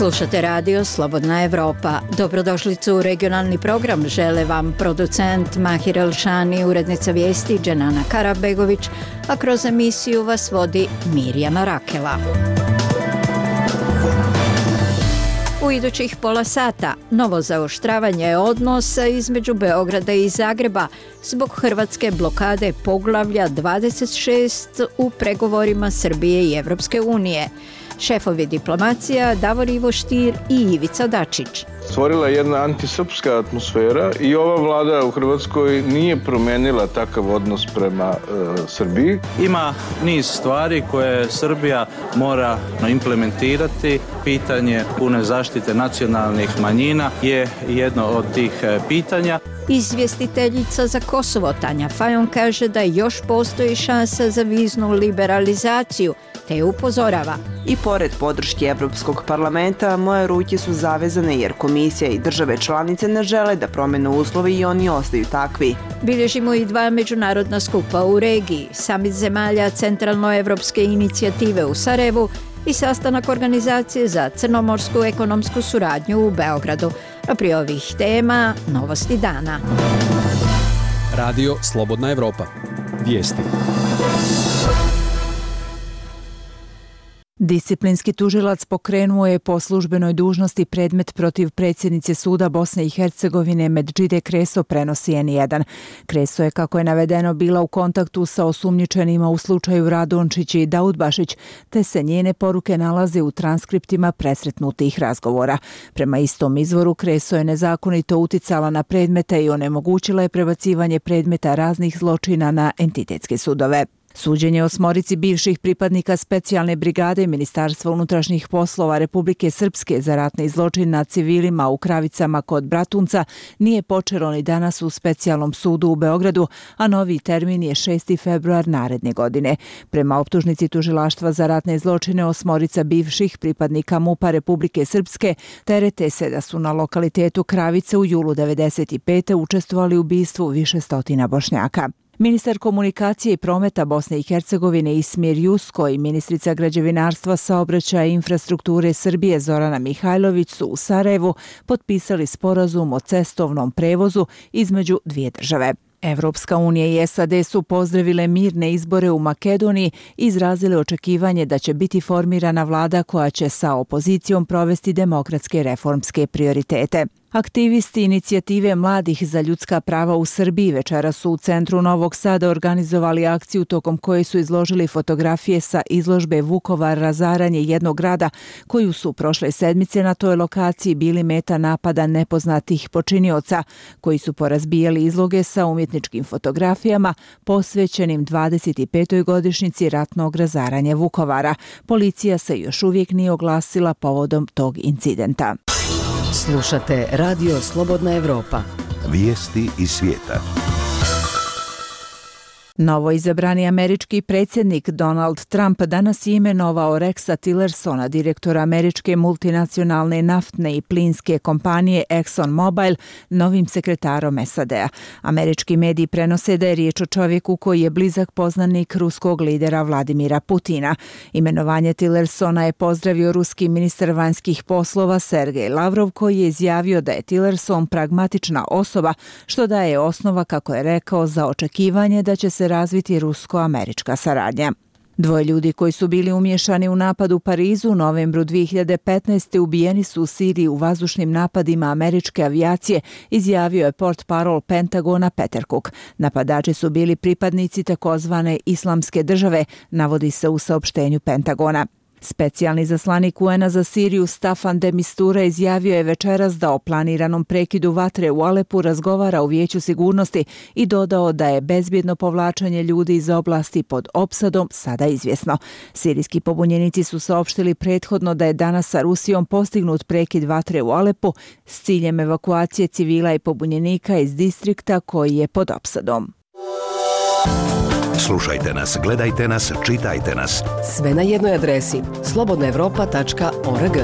Slušate radio Slobodna Evropa. Dobrodošlicu u regionalni program žele vam producent Mahir Elšani, urednica vijesti Dženana Karabegović, a kroz emisiju vas vodi Mirjana Rakela. U idućih pola sata novo zaoštravanje odnosa između Beograda i Zagreba zbog hrvatske blokade poglavlja 26 u pregovorima Srbije i Evropske unije. Šefovi diplomacija Davor Ivo Stier i Ivica Dačić. Stvorila jedna antisrpska atmosfera i ova vlada u Hrvatskoj nije promenila takav odnos prema Srbiji. Ima niz stvari koje Srbija mora implementirati. Pitanje pune zaštite nacionalnih manjina je jedno od tih pitanja. Izvjestiteljica za Kosovo Tanja Fajon kaže da još postoji šansa za viznu liberalizaciju, te upozorava. I pored podrške Evropskog parlamenta, moje ruke su zavezane jer komisija i države članice ne žele da promene uslove i oni ostaju takvi. Bilježimo i 2 međunarodna skupa u regiji, samit zemalja Centralnoevropske inicijative u Sarajevu i sastanak Organizacije za crnomorsku ekonomsku suradnju u Beogradu. A prije ovih tema, novosti dana. Radio Slobodna Evropa. Vijesti. Disciplinski tužilac pokrenuo je po službenoj dužnosti predmet protiv predsjednice suda Bosne i Hercegovine Medžide Kreso, prenosi N1. Kreso je, kako je navedeno, bila u kontaktu sa osumnjičenima u slučaju Radončić i Daudbašić, te se njene poruke nalaze u transkriptima presretnutih razgovora. Prema istom izvoru, Kreso je nezakonito uticala na predmete i onemogućila je prebacivanje predmeta raznih zločina na entitetske sudove. Suđenje 8 bivših pripadnika specijalne brigade Ministarstva unutrašnjih poslova Republike Srpske za ratni zločin nad civilima u Kravicama kod Bratunca nije počelo ni danas u specijalnom sudu u Beogradu, a novi termin je 6. februar naredne godine. Prema optužnici tužilaštva za ratne zločine 8 bivših pripadnika MUP-a Republike Srpske terete se da su na lokalitetu Kravice u julu 1995. učestvovali u ubistvu više stotina Bošnjaka. Ministar komunikacije i prometa Bosne i Hercegovine Ismir Jusko i ministrica građevinarstva, saobraćaja i infrastrukture Srbije Zorana Mihajlović su u Sarajevu potpisali sporazum o cestovnom prevozu između dvije države. Evropska unija i SAD su pozdravile mirne izbore u Makedoniji i izrazile očekivanje da će biti formirana vlada koja će sa opozicijom provesti demokratske reformske prioritete. Aktivisti inicijative mladih za ljudska prava u Srbiji večeras su u centru Novog Sada organizovali akciju tokom koje su izložili fotografije sa izložbe Vukovar razaranje jednog grada, koju su prošle sedmice na toj lokaciji bili meta napada nepoznatih počinioca, koji su porazbijali izloge sa umjetničkim fotografijama posvećenim 25. godišnjici ratnog razaranja Vukovara. Policija se još uvijek nije oglasila povodom tog incidenta. Slušate Radio Slobodna Evropa. Vijesti iz svijeta. Novo izabrani američki predsjednik Donald Trump danas je imenovao Rexa Tillersona, direktora američke multinacionalne naftne i plinske kompanije ExxonMobil, novim sekretarom SAD-a. Američki mediji prenose da je riječ o čovjeku koji je blizak poznanik ruskog lidera Vladimira Putina. Imenovanje Tillersona je pozdravio ruski ministar vanjskih poslova Sergej Lavrov, koji je izjavio da je Tillerson pragmatična osoba, što daje osnova, kako je rekao, za očekivanje da će se razviti rusko-američka saradnja. 2 ljudi koji su bili umiješani u napad u Parizu u novembru 2015. ubijeni su u Siriji u vazdušnim napadima američke avijacije, izjavio je portparol Pentagona Peter Cook. Napadači su bili pripadnici takozvane Islamske države, navodi se u saopštenju Pentagona. Specijalni zaslanik UN-a za Siriju Staffan de Mistura izjavio je večeras da o planiranom prekidu vatre u Alepu razgovara u Vijeću sigurnosti i dodao da je bezbjedno povlačenje ljudi iz oblasti pod opsadom sada izvjesno. Sirijski pobunjenici su saopštili prethodno da je danas sa Rusijom postignut prekid vatre u Alepu s ciljem evakuacije civila i pobunjenika iz distrikta koji je pod opsadom. Slušajte nas, gledajte nas, čitajte nas. Sve na jednoj adresi slobodnaevropa.org.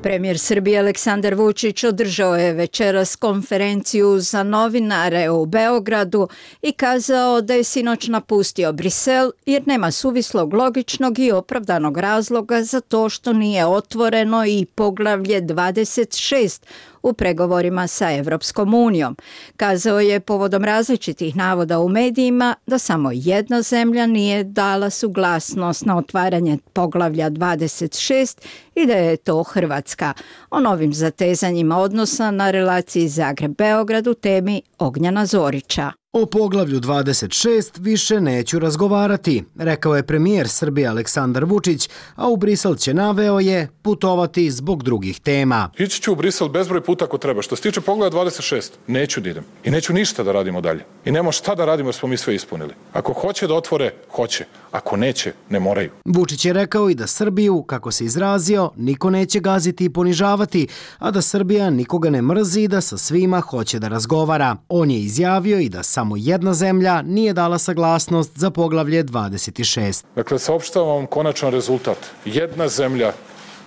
Premijer Srbije Aleksandar Vučić održao je večeras konferenciju za novinare u Beogradu i kazao da je sinoć napustio Brisel jer nema suvislog, logičnog i opravdanog razloga za to što nije otvoreno i poglavlje 26 u pregovorima sa Evropskom unijom. Kazao je povodom različitih navoda u medijima da samo jedna zemlja nije dala suglasnost na otvaranje poglavlja 26 i da je to Hrvatska. O novim zatezanjima odnosa na relaciji Zagreb-Beograd u temi Ognjena Zorića. O poglavlju 26 više neću razgovarati, rekao je premijer Srbije Aleksandar Vučić, a u Brisel će, naveo je, putovati zbog drugih tema. Ići ću u Brisel bezbroj puta ako treba. Što se tiče poglavlja 26, neću da idem. I neću ništa da radimo dalje. I nemamo šta da radimo jer smo mi sve ispunili. Ako hoće da otvore, hoće. Ako neće, ne moraju. Vučić je rekao i da Srbiju, kako se izrazio, niko neće gaziti i ponižavati, a da Srbija nikoga ne mrzi i da sa svima hoće da razgovara. On je izjavio i da samo jedna zemlja nije dala saglasnost za poglavlje 26. Dakle, saopštavam vam konačan rezultat. Jedna zemlja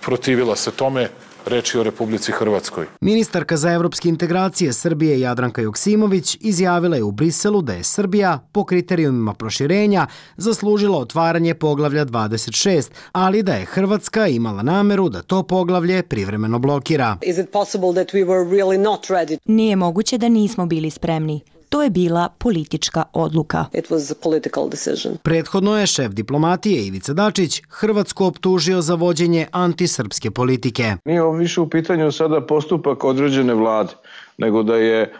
protivila se tome, reč je o Republici Hrvatskoj. Ministarka za evropske integracije Srbije Jadranka Joksimović izjavila je u Briselu da je Srbija po kriterijumima proširenja zaslužila otvaranje poglavlja 26, ali da je Hrvatska imala nameru da to poglavlje privremeno blokira. Nije moguće da nismo bili spremni. To je bila politička odluka. Prethodno je šef diplomatije Ivica Dačić Hrvatsku optužio za vođenje antisrpske politike. Nije ovo više u pitanju sada postupak određene vlade, nego da je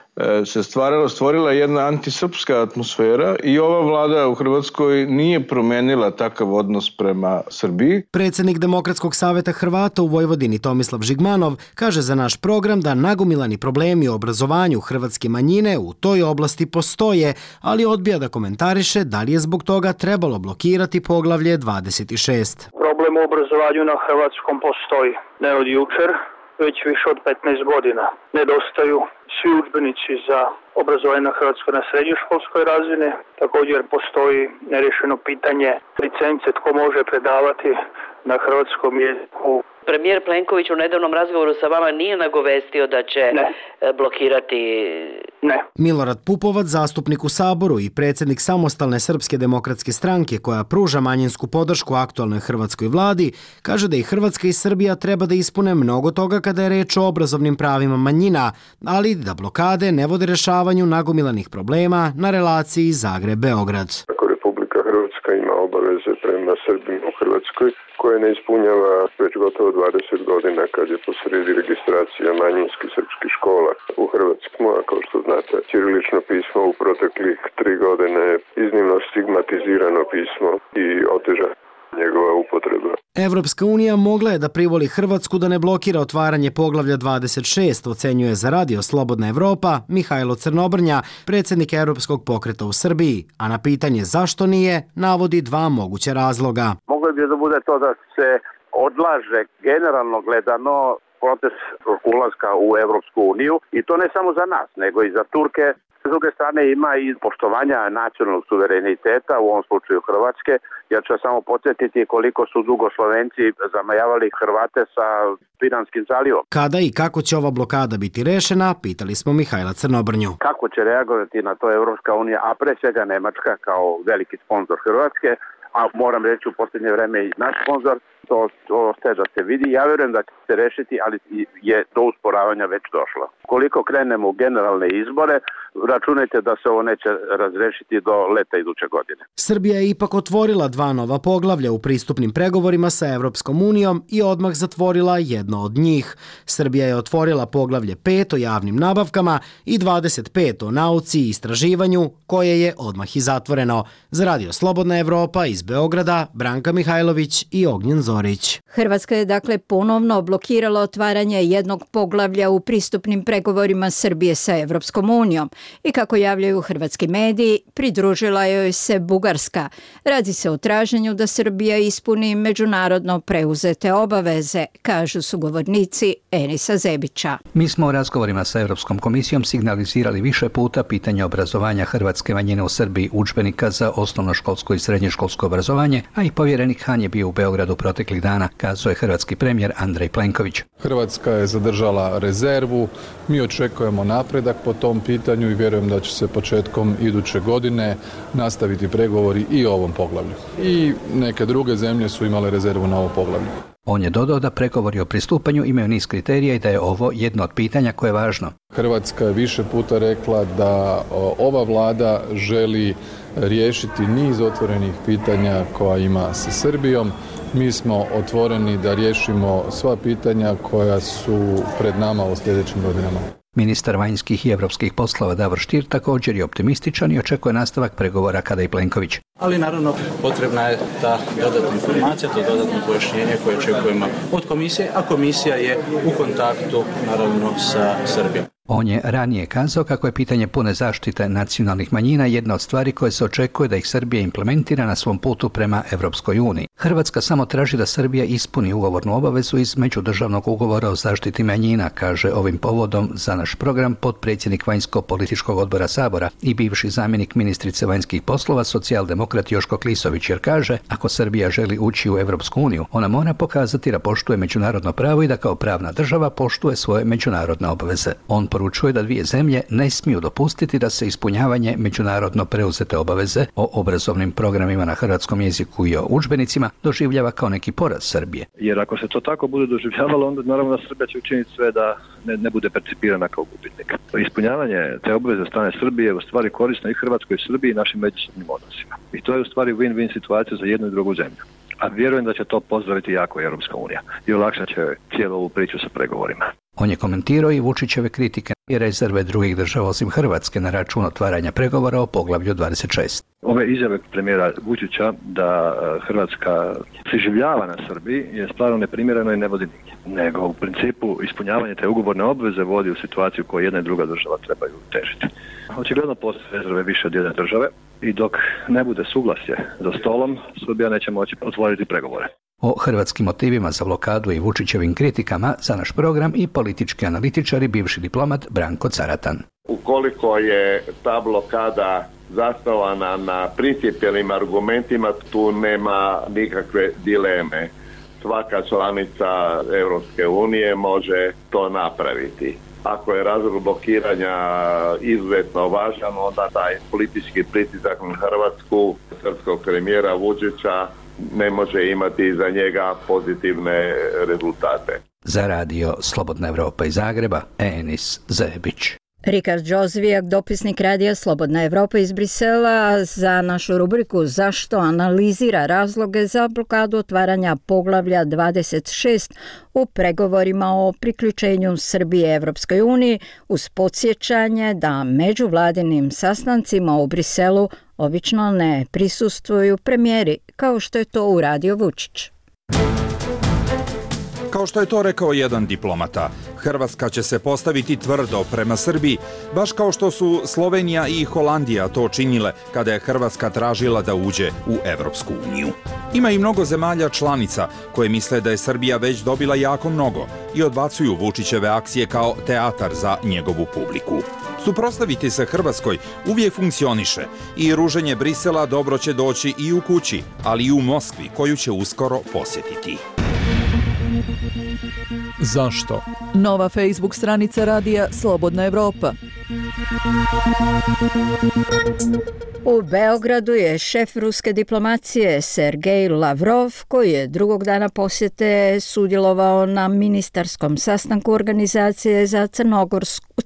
se stvorila jedna antisrpska atmosfera i ova vlada u Hrvatskoj nije promenila takav odnos prema Srbiji. Predsjednik Demokratskog saveta Hrvata u Vojvodini Tomislav Žigmanov kaže za naš program da nagomilani problemi u obrazovanju hrvatske manjine u toj oblasti postoje, ali odbija da komentariše da li je zbog toga trebalo blokirati poglavlje 26. Problem u obrazovanju na hrvatskom postoji ne od jučer, već više od 15 godina. Nedostaju svi udžbenici za obrazovanje na Hrvatskoj na srednjoškolskoj razini. Također postoji nerješeno pitanje licence tko može predavati na hrvatskom jeziku. Premijer Plenković u nedavnom razgovoru sa vama nije nagovestio da će blokirati... Ne. Milorad Pupovac, zastupnik u Saboru i predsjednik Samostalne srpske demokratske stranke koja pruža manjinsku podršku aktualnoj hrvatskoj vladi, kaže da i Hrvatska i Srbija treba da ispune mnogo toga kada je reč o obrazovnim pravima manjina, ali da blokade ne vode rešavanju nagomilanih problema na relaciji Zagreb-Beograd. Ako Republika Hrvatska ima obaveze prema Srbima u Hrvatskoj, koje ne ispunjava već gotovo 20 godina kad je posredi registracija manjinskih srpskih škola u Hrvatskoj. A kao što znate, ćirilično pismo u proteklih 3 godine je iznimno stigmatizirano pismo i oteža njegova upotreba. Evropska unija mogla je da privoli Hrvatsku da ne blokira otvaranje poglavlja 26, ocenjuje za Radio Slobodna Evropa Mihajlo Crnobrnja, predsjednik Europskog pokreta u Srbiji, a na pitanje zašto nije, navodi dva moguća razloga. Moglo bi da bude to da se odlaže generalno gledano proces ulaska u Evropsku uniju i to ne samo za nas, nego i za Turke. S druge strane ima i poštovanja nacionalnog suvereniteta, u ovom slučaju Hrvatske. Ja ću samo podsjetiti koliko su dugo Slovenci zamajavali Hrvate sa Piranskim zalivom. Kada i kako će ova blokada biti rešena, pitali smo Mihajla Crnobrnju. Kako će reagovati na to Evropska unija, a pre svega Nemačka kao veliki sponsor Hrvatske, a moram reći u posljednje vreme i naš sponsor, to ostaje da se vidi. Ja vjerujem da će se rešiti, ali je do usporavanja već došlo. Koliko krenemo u generalne izbore, računajte da se ovo neće razrešiti do leta iduće godine. Srbija je ipak otvorila 2 nova poglavlja u pristupnim pregovorima sa Evropskom unijom i odmah zatvorila jedno od njih. Srbija je otvorila poglavlje 5 o javnim nabavkama i 25 o nauci i istraživanju, koje je odmah i zatvoreno. Za Radio Slobodna Evropa iz Beograda, Branka Mihajlović i Ognjen Zorić. Hrvatska je dakle ponovno blokirala otvaranje jednog poglavlja u pristupnim pregovorima Srbije sa Evropskom unijom i kako javljaju hrvatski mediji, pridružila joj se Bugarska. Radi se o traženju da Srbija ispuni međunarodno preuzete obaveze, kažu sugovornici Enisa Zebića. Mi smo u razgovorima sa Europskom komisijom signalizirali više puta pitanje obrazovanja hrvatske manjine u Srbiji, udžbenika za osnovnoškolsko i srednjoškolsko obrazovanje, a i povjerenik Han je bio u Beogradu proteklih proteklih dana, kazao je hrvatski premijer Andrej Plenković. Hrvatska je zadržala rezervu, mi očekujemo napredak po tom pitanju i vjerujem da će se početkom iduće godine nastaviti pregovori i o ovom poglavlju. I neke druge zemlje su imale rezervu na ovo poglavlje. On je dodao da pregovori o pristupanju imaju niz kriterija i da je ovo jedno od pitanja koje je važno. Hrvatska je više puta rekla da ova vlada želi riješiti niz otvorenih pitanja koja ima sa Srbijom. Mi smo otvoreni da riješimo sva pitanja koja su pred nama u sljedećim godinama. Ministar vanjskih i europskih poslova Davor Stier također je optimističan i očekuje nastavak pregovora kada i Plenković. Ali naravno potrebna je ta dodatna informacija, to dodatno pojašnjenje koje očekujemo od komisije, a komisija je u kontaktu naravno sa Srbijom. On je ranije kazao kako je pitanje pune zaštite nacionalnih manjina jedna od stvari koje se očekuje da ih Srbija implementira na svom putu prema Europskoj uniji. Hrvatska samo traži da Srbija ispuni ugovornu obavezu iz međudržavnog ugovora o zaštiti manjina, kaže ovim povodom za naš program potpredsjednik vanjsko-političkog odbora Sabora i bivši zamjenik ministrice vanjskih poslova socijaldemokrat Joško Klisović, jer kaže ako Srbija želi ući u Europsku uniju, ona mora pokazati da poštuje međunarodno pravo i da kao pravna država poštuje svoje međunarodne obaveze. On poručuje da dvije zemlje ne smiju dopustiti da se ispunjavanje međunarodno preuzete obaveze o obrazovnim programima na hrvatskom jeziku i o udžbenicima doživljava kao neki poraz Srbije. Jer ako se to tako bude doživljavalo, onda naravno Srbija će učiniti sve da ne bude percipirana kao gubitnik. Ispunjavanje te obaveze od strane Srbije je u stvari korisno i Hrvatskoj i Srbiji i našim međusobnim odnosima. I to je u stvari win-win situacija za jednu i drugu zemlju. A vjerujem da će to pozdraviti jako Europska unija i olakšat će cijelu ovu priču sa pregovorima. On je komentirao i Vučićeve kritike i rezerve drugih država osim Hrvatske na račun otvaranja pregovora o poglavlju 26. Ove izjave premijera Vučića da Hrvatska preživljava na Srbiji je stvarno neprimjereno i ne vodi nigdje. Nego u principu ispunjavanje te ugovorne obveze vodi u situaciju koju jedna i druga država trebaju težiti. Očigledno postoje rezerve više od jedne države i dok ne bude suglasje za stolom, Srbija neće moći otvoriti pregovore. O hrvatskim motivima za blokadu i Vučićevim kritikama za naš program i politički analitičar i bivši diplomat Branko Caratan. Ukoliko je ta blokada zasnovana na principijelnim argumentima, tu nema nikakve dileme. Svaka članica Europske unije može to napraviti. Ako je razlog blokiranja izuzetno važan, onda taj politički pritisak na Hrvatsku, srpskog premijera Vučića, ne može imati za njega pozitivne rezultate. Za radio Slobodna Evropa iz Zagreba, Enis Zebić. Rikard Đozvijak, dopisnik radija Slobodna Evropa iz Brisela, za našu rubriku Zašto analizira razloge za blokadu otvaranja poglavlja 26 u pregovorima o priključenju Srbije Evropskoj uniji, uz podsjećanje da međuvladinim sastancima u Briselu obično ne prisustvuju premijeri, kao što je to uradio Vučić. Kao što je to rekao jedan diplomata, Hrvatska će se postaviti tvrdo prema Srbiji, baš kao što su Slovenija i Holandija to činile kada je Hrvatska tražila da uđe u Evropsku uniju. Ima i mnogo zemalja članica koje misle da je Srbija već dobila jako mnogo i odbacuju Vučićeve akcije kao teatar za njegovu publiku. Suprotstaviti se Hrvatskoj uvijek funkcioniše i ruženje Brisela dobro će doći i u kući, ali i u Moskvi, koju će uskoro posjetiti. Zašto? Nova Facebook stranica radija Slobodna Evropa. U Beogradu je šef ruske diplomacije Sergej Lavrov, koji je drugog dana posjete sudjelovao na ministarskom sastanku Organizacije za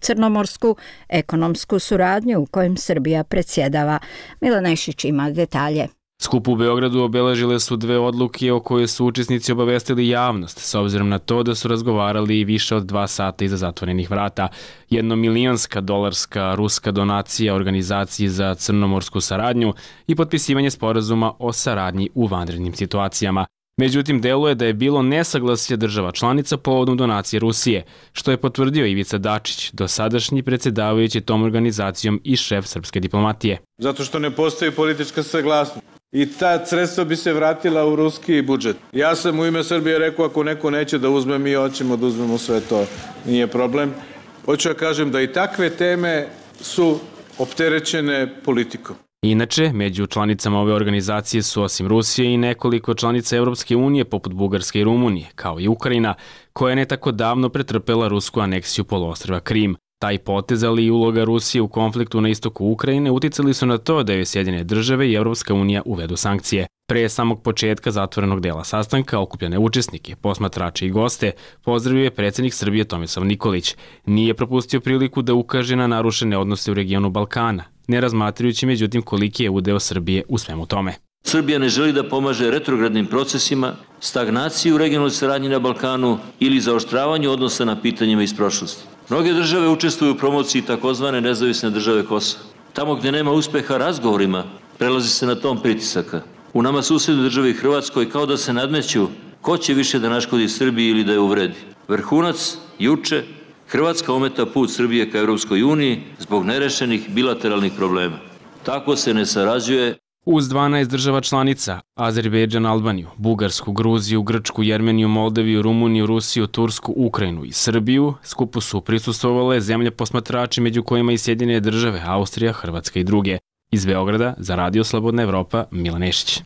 crnomorsku ekonomsku suradnju u kojem Srbija predsjedava. Mila Nešić ima detalje. Skup u Beogradu obeležile su dve odluke o koje su učesnici obavestili javnost, s obzirom na to da su razgovarali više od 2 sata iza zatvorenih vrata. $1.000.000 ruska donacija Organizaciji za crnomorsku saradnju i potpisivanje sporazuma o saradnji u vanrednim situacijama. Međutim, deluje da je bilo nesaglasje država članica povodom donacije Rusije, što je potvrdio Ivica Dačić, dosadašnji predsjedavajući tom organizacijom i šef srpske diplomatije. Zato što ne postoji politička saglasnost. I ta sredstva bi se vratila u ruski budžet. Ja sam u ime Srbije rekao, ako neko neće da uzme, mi hoćemo da uzmemo sve to. Nije problem. Hoću da kažem da i takve teme su opterećene politikom. Inače, među članicama ove organizacije su osim Rusije i nekoliko članica Evropske unije poput Bugarske i Rumunije, kao i Ukrajina, koja je ne tako davno pretrpela rusku aneksiju poluostrva Krim. Taj potez, ali i uloga Rusije u konfliktu na istoku Ukrajine uticali su na to da joj Sjedinjene države i Evropska unija uvedu sankcije. Pre samog početka zatvorenog dela sastanka okupljene učesnike, posmatrače i goste pozdravio je predsjednik Srbije Tomislav Nikolić. Nije propustio priliku da ukaže na narušene odnose u regionu Balkana, ne razmatrajući međutim koliki je udeo Srbije u svemu tome. Srbija ne želi da pomaže retrogradnim procesima, stagnaciji u regionalnoj saradnji na Balkanu ili zaoštravanju odnosa na pitanjima iz prošlosti. Mnoge države učestvuju u promociji takozvane nezavisne države Kosova. Tamo gdje nema uspeha razgovorima, prelazi se na tom pritisaka. U nama susjednoj državi Hrvatskoj kao da se nadmeću ko će više da naškodi Srbiji ili da je uvredi. Vrhunac juče, Hrvatska ometa put Srbije ka Europskoj uniji zbog nerešenih bilateralnih problema. Tako se ne sarađuje. Uz 12 država članica, Azerbejdžan, Albaniju, Bugarsku, Gruziju, Grčku, Jermeniju, Moldaviju, Rumuniju, Rusiju, Tursku, Ukrajinu i Srbiju, skupu su prisustvovale zemlje posmatrači među kojima i Sjedinjene države, Austrija, Hrvatska i druge. Iz Beograda za Radio Slobodna Evropa, Milan Nešić.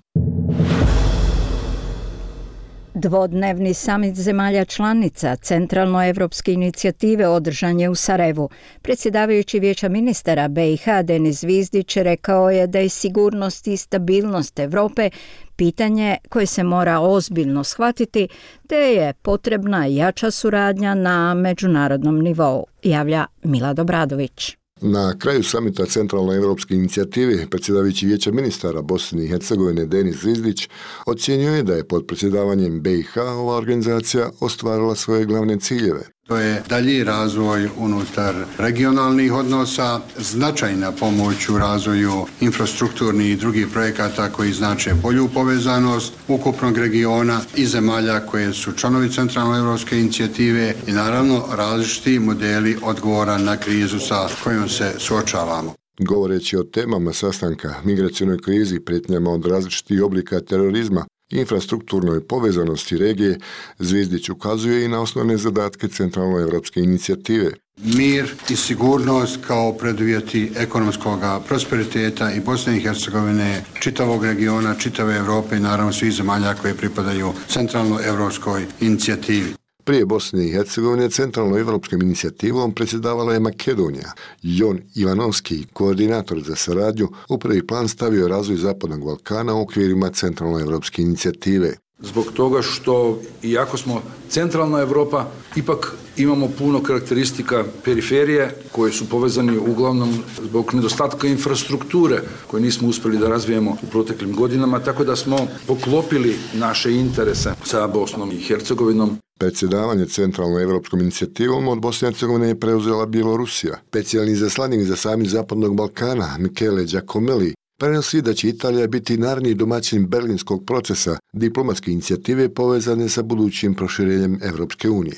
Dvodnevni samit zemalja članica Centralnoevropske inicijative održan je u Sarajevu. Predsjedavajući Vijeća ministara BiH Denis Zvizdić rekao je da je sigurnost i stabilnost Evrope pitanje koje se mora ozbiljno shvatiti, te je potrebna jača suradnja na međunarodnom nivou, javlja Milad Obradović. Na kraju samita Centralnoevropske inicijative predsjedavajući Vijeća ministara Bosne i Hercegovine Denis Zvizdić ocjenjuje je da je pod predsjedavanjem BiH ova organizacija ostvarila svoje glavne ciljeve. To je dalji razvoj unutar regionalnih odnosa, značajna pomoć u razvoju infrastrukturnih i drugih projekata koji znače bolju povezanost ukupnog regiona i zemalja koje su članovi Centralnoevropske inicijative i naravno različiti modeli odgovora na krizu sa kojom se suočavamo. Govoreći o temama sastanka, migracionoj krizi, prijetnjama od različitih oblika terorizma, infrastrukturnoj povezanosti regije, Zvizdić ukazuje i na osnovne zadatke Centralnoevropske inicijative. Mir i sigurnost kao preduvjeti ekonomskog prosperiteta i Bosne i Hercegovine, čitavog regiona, čitave Europe i naravno svih zemalja koje pripadaju Centralnoevropskoj inicijativi. Prije Bosne i Hercegovine Centralnoevropskom inicijativom predsjedavala je Makedonija. Jon Ivanovski, koordinator za saradnju, u prvi plan stavio razvoj Zapadnog Balkana u okvirima Centralnoevropske inicijative. Zbog toga što, iako smo centralna Europa, ipak imamo puno karakteristika periferije koje su povezani uglavnom zbog nedostatka infrastrukture koje nismo uspjeli da razvijemo u proteklim godinama, tako da smo poklopili naše interese sa Bosnom i Hercegovinom. Predsjedavanje Centralnoevropskom inicijativom od Bosne i Hercegovine je preuzela Bjelorusija. Specijalni zaslanik za samit Zapadnog Balkana, Michele Giacomelli, prenosi da će Italija biti naredni domaćin berlinskog procesa diplomatske inicijative povezane sa budućim proširenjem Evropske unije.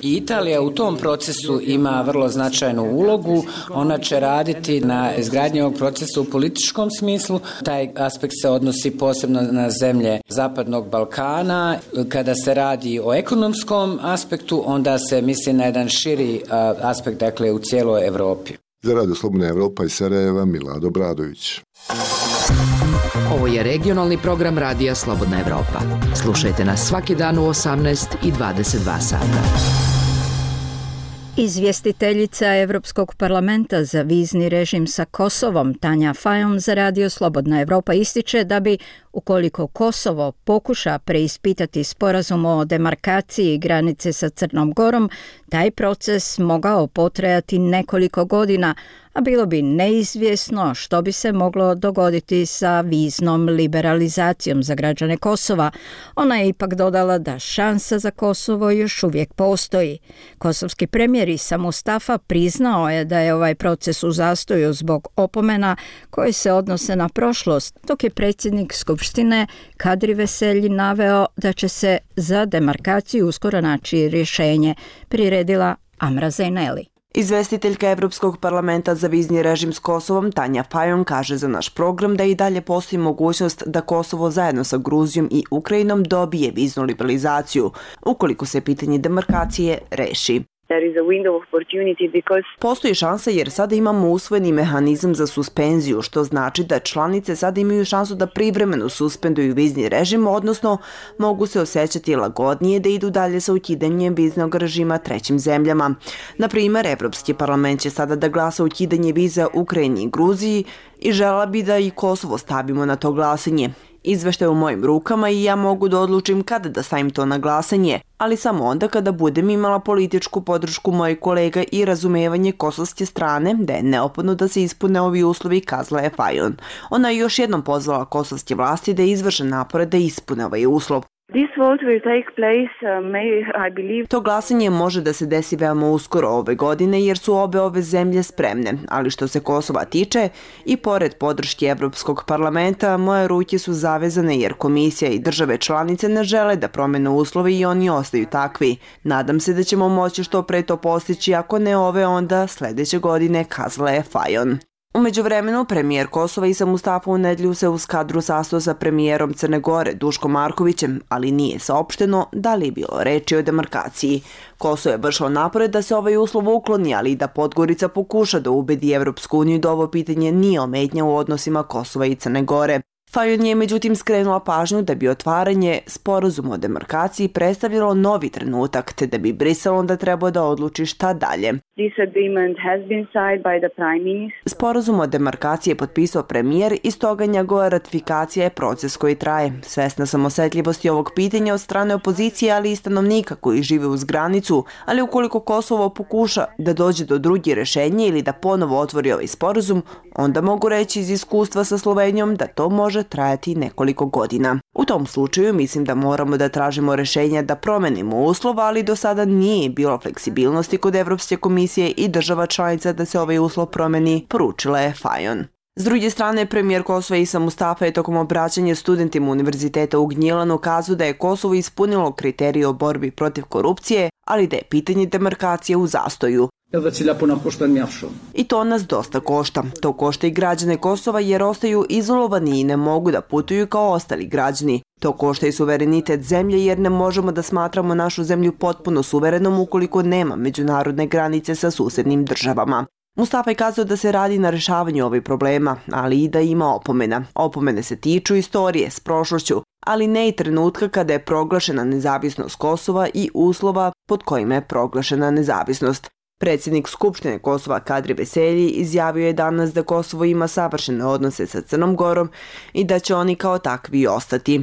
Italija u tom procesu ima vrlo značajnu ulogu. Ona će raditi na izgradnji ovog procesa u političkom smislu. Taj aspekt se odnosi posebno na zemlje Zapadnog Balkana. Kada se radi o ekonomskom aspektu, onda se misli na jedan širi aspekt, dakle u cijeloj Europi. Za Radio Slobodna Evropa iz Sarajeva, Milad Obradović. Ovo je regionalni program Radija Slobodna Evropa. Slušajte nas svaki dan u 18 i 22 sata. Izvjestiteljica Evropskog parlamenta za vizni režim sa Kosovom, Tanja Fajon, za Radio Slobodna Evropa ističe da bi, ukoliko Kosovo pokuša preispitati sporazum o demarkaciji granice sa Crnom Gorom, taj proces mogao potrajati nekoliko godina, a bilo bi neizvjesno što bi se moglo dogoditi sa viznom liberalizacijom za građane Kosova. Ona je ipak dodala da šansa za Kosovo još uvijek postoji. Kosovski premijer Isa Mustafa priznao je da je ovaj proces u zastoju zbog opomena koje se odnose na prošlost, dok je predsjednik Skupštine Kadri Veselji naveo da će se za demarkaciju uskoro naći rješenje, priredila Amra Zaineli. Izvestiteljka Evropskog parlamenta za vizni režim s Kosovom Tanja Fajon kaže za naš program da i dalje postoji mogućnost da Kosovo zajedno sa Gruzijom i Ukrajinom dobije viznu liberalizaciju, ukoliko se pitanje demarkacije reši. Postoji šansa jer sada imamo usvojeni mehanizam za suspenziju, što znači da članice sada imaju šansu da privremeno suspenduju vizni režim, odnosno mogu se osjećati lagodnije da idu dalje sa ukidanjem viznog režima trećim zemljama. Na primjer, Evropski parlament će sada da glasa ukidanje viza Ukrajini i Gruziji i žela bi da i Kosovo stavimo na to glasanje. Izveštaj u mojim rukama i ja mogu da odlučim kada da stavim to na glasanje, ali samo onda kada budem imala političku podršku mojih kolega i razumevanje kosovske strane da je neophodno da se ispune ovi uslovi, kazala je Fajon. Ona je još jednom pozvala kosovske vlasti da izvrše napore da ispune ovaj uslov. To glasanje može da se desi veoma uskoro ove godine jer su ove zemlje spremne, ali što se Kosova tiče, i pored podrške Evropskog parlamenta, moje ruke su zavezane jer komisija i države članice ne žele da promene uslove i oni ostaju takvi. Nadam se da ćemo moći što pre to postići, ako ne ove onda sledeće godine, kazala je Fajon. U međuvremenu, premijer Kosova Isa Mustafa u nedjelju se uz kadru sastao sa premijerom Crne Gore Duškom Markovićem, ali nije saopšteno da li je bilo reči o demarkaciji. Kosovo je vršilo napore da se ovaj uslov ukloni, ali i da Podgorica pokuša da ubedi Evropsku uniju da ovo pitanje nije ometnja u odnosima Kosova i Crne Gore. Fajon je međutim skrenula pažnju da bi otvaranje sporazuma o demarkaciji predstavljalo novi trenutak, te da bi Brisel onda trebao da odluči šta dalje. Sporazum o demarkaciji je potpisao premijer i stoga njegova ratifikacija je proces koji traje. Svesna sam osetljivosti ovog pitanja od strane opozicije, ali i stanovnika koji žive uz granicu, ali ukoliko Kosovo pokuša da dođe do drugih rešenja ili da ponovo otvori ovaj sporazum, onda mogu reći iz iskustva sa Slovenijom da to može trajati nekoliko godina. U tom slučaju mislim da moramo da tražimo rešenja da promenimo uslov, ali do sada nije bilo fleksibilnosti kod Evropske komisije i država članica da se ovaj uslov promeni, poručila je Fajon. S druge strane, premijer Kosova Isa Mustafa je tokom obraćanja studentima Univerziteta u Gnjilanu kazao da je Kosovo ispunilo kriterije o borbi protiv korupcije, ali da je pitanje demarkacije u zastoju. I to nas dosta košta. To košta i građane Kosova jer ostaju izolovani i ne mogu da putuju kao ostali građani. To košta i suverenitet zemlje jer ne možemo da smatramo našu zemlju potpuno suverenom ukoliko nema međunarodne granice sa susednim državama. Mustafa je kazao da se radi na rešavanju ovih problema, ali i da ima opomena. Opomene se tiču istorije s prošlošću, ali ne i trenutka kada je proglašena nezavisnost Kosova i uslova pod kojima je proglašena nezavisnost. Predsjednik Skupštine Kosova Kadri Veselji izjavio je danas da Kosovo ima savršene odnose sa Crnom Gorom i da će oni kao takvi ostati.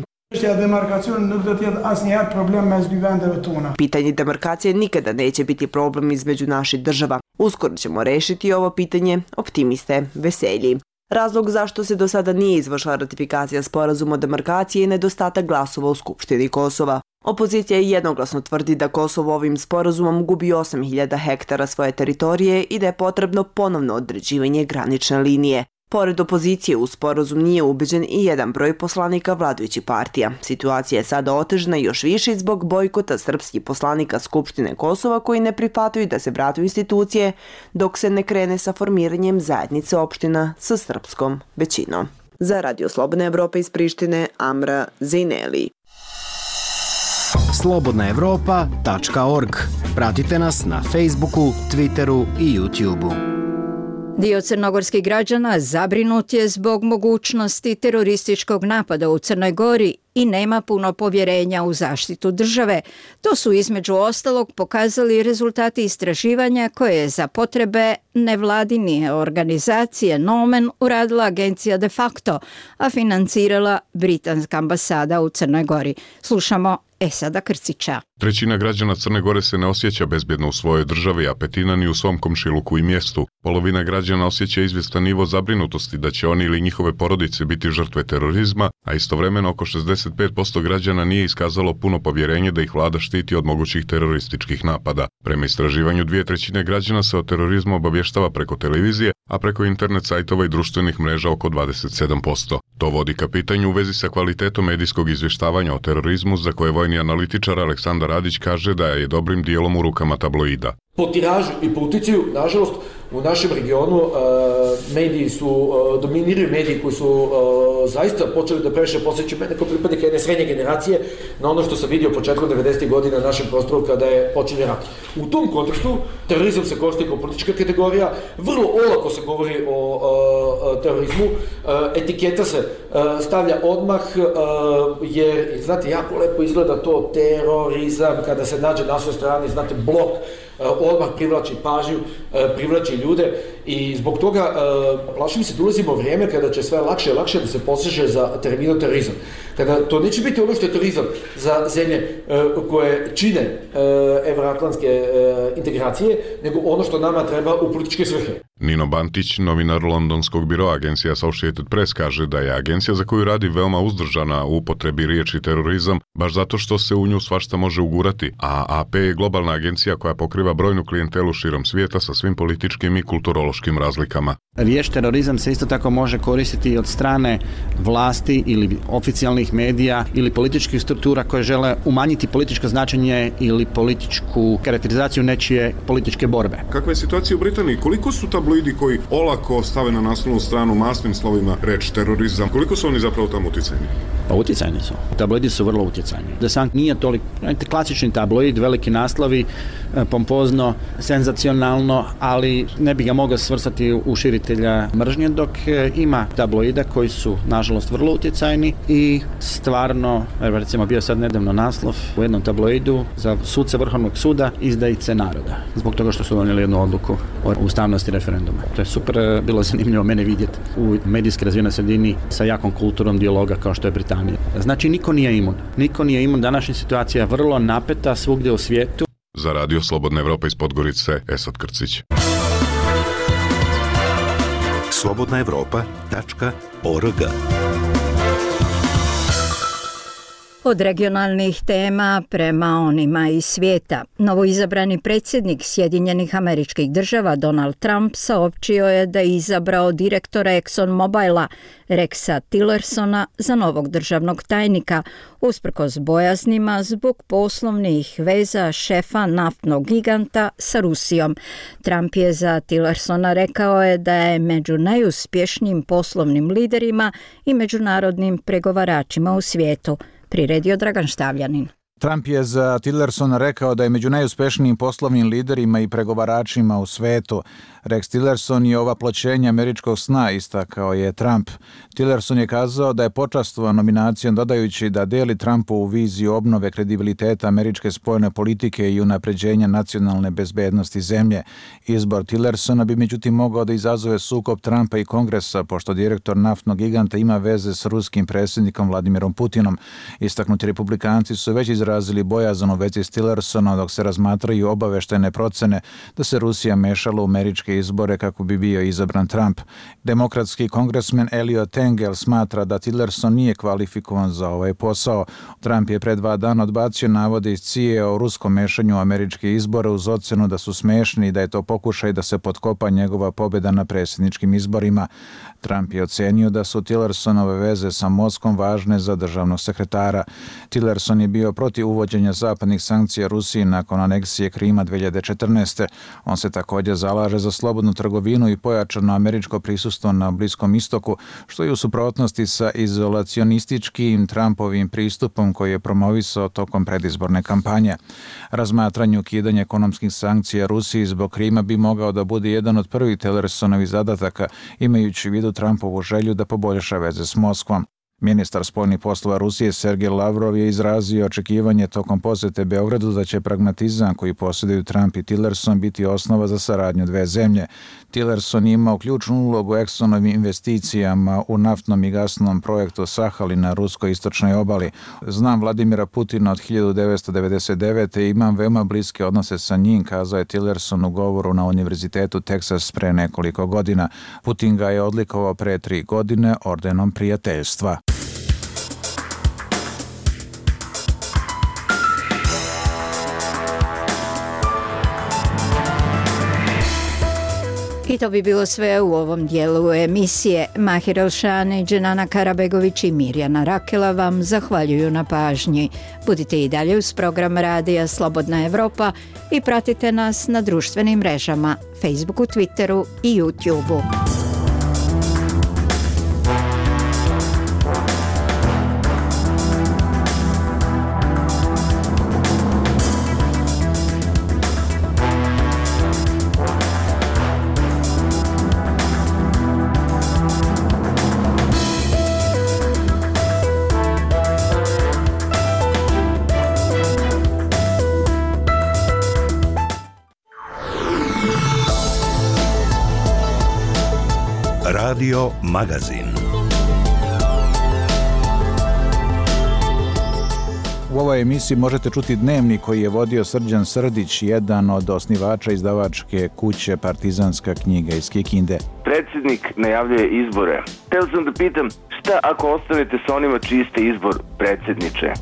Pitanje demarkacije nikada neće biti problem između naših država. Uskoro ćemo rešiti ovo pitanje, optimiste Veselji. Razlog zašto se do sada nije izvršila ratifikacija sporazuma o demarkaciji je nedostatak glasova u Skupštini Kosova. Opozicija jednoglasno tvrdi da Kosovo ovim sporazumom gubi 8.000 hektara svoje teritorije i da je potrebno ponovno određivanje granične linije. Pored opozicije u sporazum nije ubeđen i jedan broj poslanika vladajućih partija. Situacija je sada otežana još više zbog bojkota srpskih poslanika Skupštine Kosova koji ne prihvataju da se vrate u institucije dok se ne krene sa formiranjem zajednice opština sa srpskom većinom. Za Radio Slobodna Evropa iz Prištine, Amra Zineli. slobodnaevropa.org. Pratite nas na Facebooku, Twitteru i YouTubeu. Dio crnogorskih građana zabrinut je zbog mogućnosti terorističkog napada u Crnoj Gori i nema puno povjerenja u zaštitu države. To su između ostalog pokazali rezultati istraživanja koje je za potrebe nevladine organizacije Nomen uradila agencija De Facto, a financirala britanska ambasada u Crnoj Gori. Slušamo Esada Krcića. Trećina građana Crne Gore se ne osjeća bezbjedno u svojoj državi, a petina ni u svom komšiluku i mjestu. Polovina građana osjeća izvjestan nivo zabrinutosti da će oni ili njihove porodice biti žrtve terorizma, a istovremeno oko 65% građana nije iskazalo puno povjerenje da ih vlada štiti od mogućih terorističkih napada. Prema istraživanju 2/3 građana se o terorizmu obavještava preko televizije, a preko internet sajtova i društvenih mreža oko 27%. To vodi ka pitanju u vezi sa kvalitetom medijskog izvještavanja o terorizmu, za koje vojni analitičar Aleksandar Radić kaže da je dobrim dijelom u rukama tabloida. Po tiražu i po uticaju, nažalost, u našem regionu mediji su, dominiraju mediji koji su zaista počeli da previše posjeću mene kao pripadnika jedne srednje generacije na ono što sam vidio početkom 90. godina na našem prostoru kada je počinje rat. U tom kontekstu terorizam se koristi kao politička kategorija, vrlo olako se govori o terorizmu, etiketa se stavlja odmah, jer, znate, jako lepo izgleda to terorizam kada se nađe na svoj strani, znate, blok, odmah privlači pažnju, privlači ljude i zbog toga plašim se da ulazimo vrijeme kada će sve lakše i lakše da se poseže za terminom terorizam. Kada to neće biti ono što je terorizam za zemlje koje čine evroatlantske integracije, nego ono što nama treba u političke svrhe. Nino Bantić, novinar londonskog biroa agencija Associated Press, kaže da je agencija za koju radi veoma uzdržana u upotrebi riječi terorizam, baš zato što se u nju svašta može ugurati, a AP je globalna agencija koja pokriva brojnu klijentelu širom svijeta sa svim političkim i kulturološkim razlikama. Riječ terorizam se isto tako može koristiti od strane vlasti ili oficijalnih medija ili političkih struktura koje žele umanjiti političko značenje ili političku karakterizaciju nečije političke borbe. Kakva je situacija u Britaniji? Koliko su tabloidi koji olako stave na naslovnu stranu masnim slovima reč terorizam? Koliko su oni zapravo tamo utjecajni? Pa utjecajni su. Tabloidi su vrlo utjecajni. The Sun nije toliko, klasični tabloid, veliki naslovi, pompozno, senzacionalno, ali ne bi ga mogao svrstati u širitelja mržnje, dok ima tabloida koji su, nažalost, vrlo utjecajni i stvarno, recimo bio sad nedavno naslov u jednom tabloidu za suce Vrhovnog suda izdajice naroda, zbog toga što su donijeli jednu odluku o ustavnosti referenduma. To je super, bilo zanimljivo mene vidjeti u medijski razvijenoj sredini sa jakom kulturom dijaloga kao što je Britanija. Znači, niko nije imun. Niko nije imun. Današnja situacija je vrlo napeta svugdje u svijetu. Za Radio Slobodna Evropa iz Podgorice, Esad Krcić. slobodnaevropa.org. Od regionalnih tema prema onima iz svijeta. Novoizabrani predsjednik Sjedinjenih Američkih Država Donald Trump saopćio je da je izabrao direktora ExxonMobila Rexa Tillersona za novog državnog tajnika, usprkos bojaznima zbog poslovnih veza šefa naftnog giganta sa Rusijom. Trump je za Tillersona rekao je da je među najuspješnijim poslovnim liderima i međunarodnim pregovaračima u svijetu. Priredio Dragan Štavljanin. Trump je za Tillersona rekao da je među najuspješnijim poslovnim liderima i pregovaračima u svetu. Rex Tillerson je ova pločenja američkog sna, istakao je Trump. Tillerson je kazao da je počastovan nominacijom, dodajući da deli Trumpovu viziju obnove kredibiliteta američke spoljne politike i unapređenja nacionalne bezbednosti zemlje. Izbor Tillersona bi međutim mogao da izazove sukob Trumpa i Kongresa, pošto direktor naftnog giganta ima veze s ruskim predsjednikom Vladimirom Putinom. Istaknuti republikanci su već izrazili bojazan u vezi s Tillersonom, dok se razmatraju obaveštene procene da se Rusija mešala u američke izbore kako bi bio izabran Trump. Demokratski kongresmen Eliot Engel smatra da Tillerson nije kvalifikovan za ovaj posao. Trump je pre 2 dana odbacio navode iz CIA o ruskom mešanju u američke izbore uz ocenu da su smešni i da je to pokušaj da se potkopa njegova pobjeda na predsjedničkim izborima. Trump je ocenio da su Tillersonove veze sa Moskom važne za državnog sekretara. Tillerson je bio protiv uvođenja zapadnih sankcija Rusiji nakon aneksije Krima 2014. On se također zalaže za slobodnu trgovinu i pojačano američko prisustvo na Bliskom istoku, što je u suprotnosti sa izolacionističkim Trumpovim pristupom koji je promovisao tokom predizborne kampanje. Razmatranje ukidanja ekonomskih sankcija Rusiji zbog Krima bi mogao da bude jedan od prvih Tillersonovih zadataka, imajući u vidu Trumpovu želju da poboljša veze s Moskvom. Ministar spoljnih poslova Rusije Sergej Lavrov je izrazio očekivanje tokom posjete Beogradu da će pragmatizam koji posjeduju Trump i Tillerson biti osnova za saradnju dve zemlje. Tillerson je imao ključnu ulogu Exxonovim investicijama u naftnom i gasnom projektu Sahali na ruskoj istočnoj obali. Znam Vladimira Putina od 1999. i imam veoma bliske odnose sa njim, kazao je Tillerson u govoru na Univerzitetu Texas pre nekoliko godina. Putin ga je odlikovao pre 3 godine ordenom prijateljstva. I to bi bilo sve u ovom dijelu emisije. Mahir Elšane, Dženana Karabegović i Mirjana Rakela vam zahvaljuju na pažnji. Budite i dalje uz program Radija Slobodna Evropa i pratite nas na društvenim mrežama, Facebooku, Twitteru i YouTubeu. Radio Magazin. U ovoj emisiji možete čuti dnevnik koji je vodio Srđan Srdić, jedan od osnivača izdavačke kuće Partizanska knjiga iz Kikinde. Predsjednik najavljuje izbore. Hteo sam da pitam, šta ako ostanete sa onima čiji ste izbor, predsjedniče?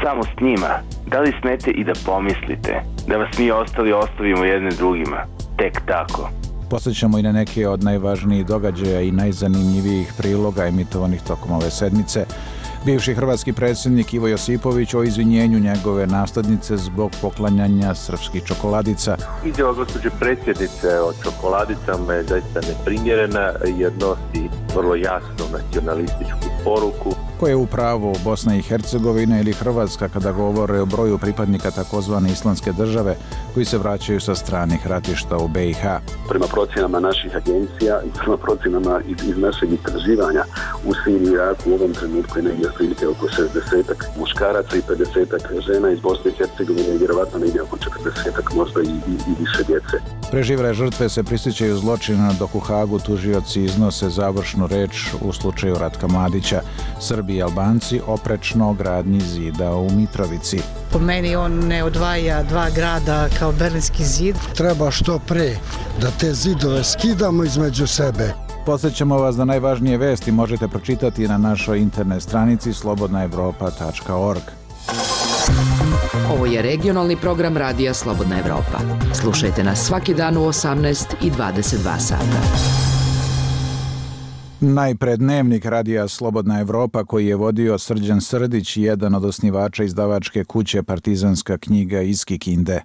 Samo s njima. Da li smete i da pomislite da vas mi ostali ostavimo jedne drugima? Tek tako. Posjećamo i na neke od najvažnijih događaja i najzanimljivijih priloga emitovanih tokom ove sedmice. Bivši hrvatski predsjednik Ivo Josipović o izvinjenju njegove naslednice zbog poklanjanja srpskih čokoladica. Izjava gospođe predsjednice o čokoladicama je zaista neprimjerena jer nosi vrlo jasnu nacionalističku poruku. Ko je u pravu Bosna i Hercegovina ili Hrvatska kada govore o broju pripadnika takozvane islamske države koji se vraćaju sa stranih ratišta u BiH? Prema procjenama naših agencija i prema procjenama iz našeg istraživanja u Siriji i Iraku u ovom trenutku je negdje otprilike oko 60-ak muškaraca i 50-ak žena iz Bosne i Hercegovine i vjerovatno negdje oko 40-ak možda i više djece. Preživele žrtve se prisjećaju zločina dok u Hagu tužioci iznose završnu reč u slučaju Ratka Mladića. Srbi i Albanci oprečno gradnji zida u Mitrovici. Po meni on ne odvaja dva grada kao Berlinski zid. Treba što pre da te zidove skidamo između sebe. Podsjećamo vas da najvažnije vesti možete pročitati na našoj internet stranici slobodnaevropa.org. Ovo je regionalni program Radija Slobodna Evropa. Slušajte nas svaki dan u 18 i 22 sata. Najpred dnevnik Radija Slobodna Evropa koji je vodio Srđan Srdić, jedan od osnivača izdavačke kuće Partizanska knjiga iz Kikinde.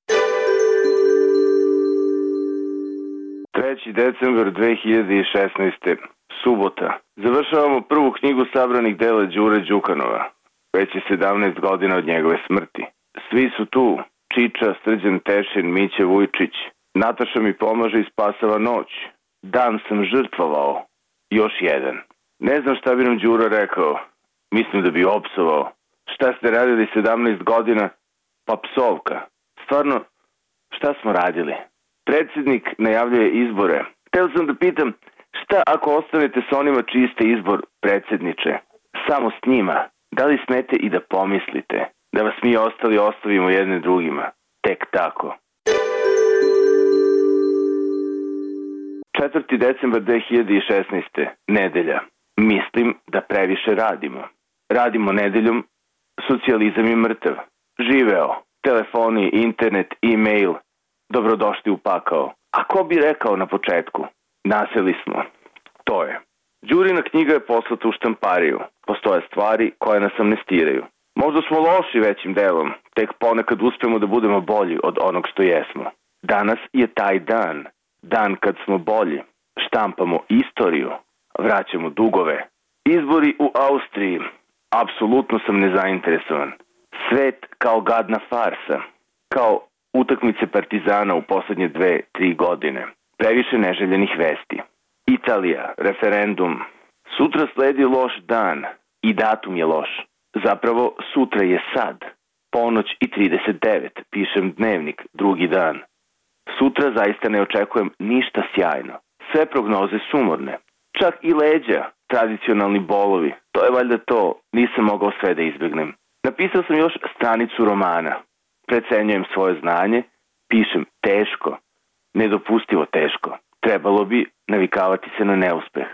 3. decembar 2016. Subota. Završavamo prvu knjigu sabranih dela Đure Đukanova. Već je 17 godina od njegove smrti. Svi su tu. Čiča, Srđan Tešin, Miće Vujčić. Nataša mi pomaže i spasava noć. Dan sam žrtvovao. Još jedan. Ne znam šta bi nam Đuro rekao. Mislim da bi opsovao. Šta ste radili 17 godina? Pa psovka. Stvarno, šta smo radili? Predsjednik najavljuje izbore. Hteo sam da pitam, šta ako ostanete sa onima čiji ste izbor, predsjedniče? Samo s njima. Da li smete i da pomislite da vas mi ostali ostavimo jedne drugima? Tek tako. 4. decembar 2016. Nedelja. Mislim da previše radimo. Radimo nedeljom, socijalizam je mrtav. Živeo. Telefoni, internet, e-mail. Dobrodošli u pakao. A ko bi rekao na početku? Naseli smo. To je. Đurina knjiga je poslata u štampariju. Postoje stvari koje nas amnestiraju. Možda smo loši većim delom, tek ponekad uspemo da budemo bolji od onog što jesmo. Danas je taj dan. Dan kad smo bolji. Štampamo istoriju. Vraćamo dugove. Izbori u Austriji. Apsolutno sam nezainteresovan. Svet kao gadna farsa. Kao utakmice Partizana u poslednje 2-3 godine. Previše neželjenih vesti. Italija, referendum. Sutra sledi loš dan i datum je loš. Zapravo sutra je sad. Ponoć i 39, pišem dnevnik, drugi dan. Sutra zaista ne očekujem ništa sjajno. Sve prognoze sumorne. Čak i leđa, tradicionalni bolovi. To je valjda to, nisam mogao sve da izbjegnem. Napisao sam još stranicu romana. Precenjujem svoje znanje, pišem teško, nedopustivo teško. Trebalo bi navikavati se na neuspeh.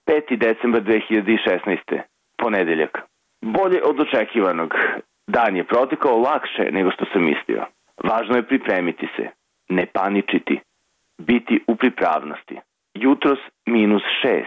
5. decembar 2016. Ponedeljak. Bolje od očekivanog. Dan je protekao lakše nego što sam mislio. Važno je pripremiti se, ne paničiti, biti u pripravnosti. Jutros -6.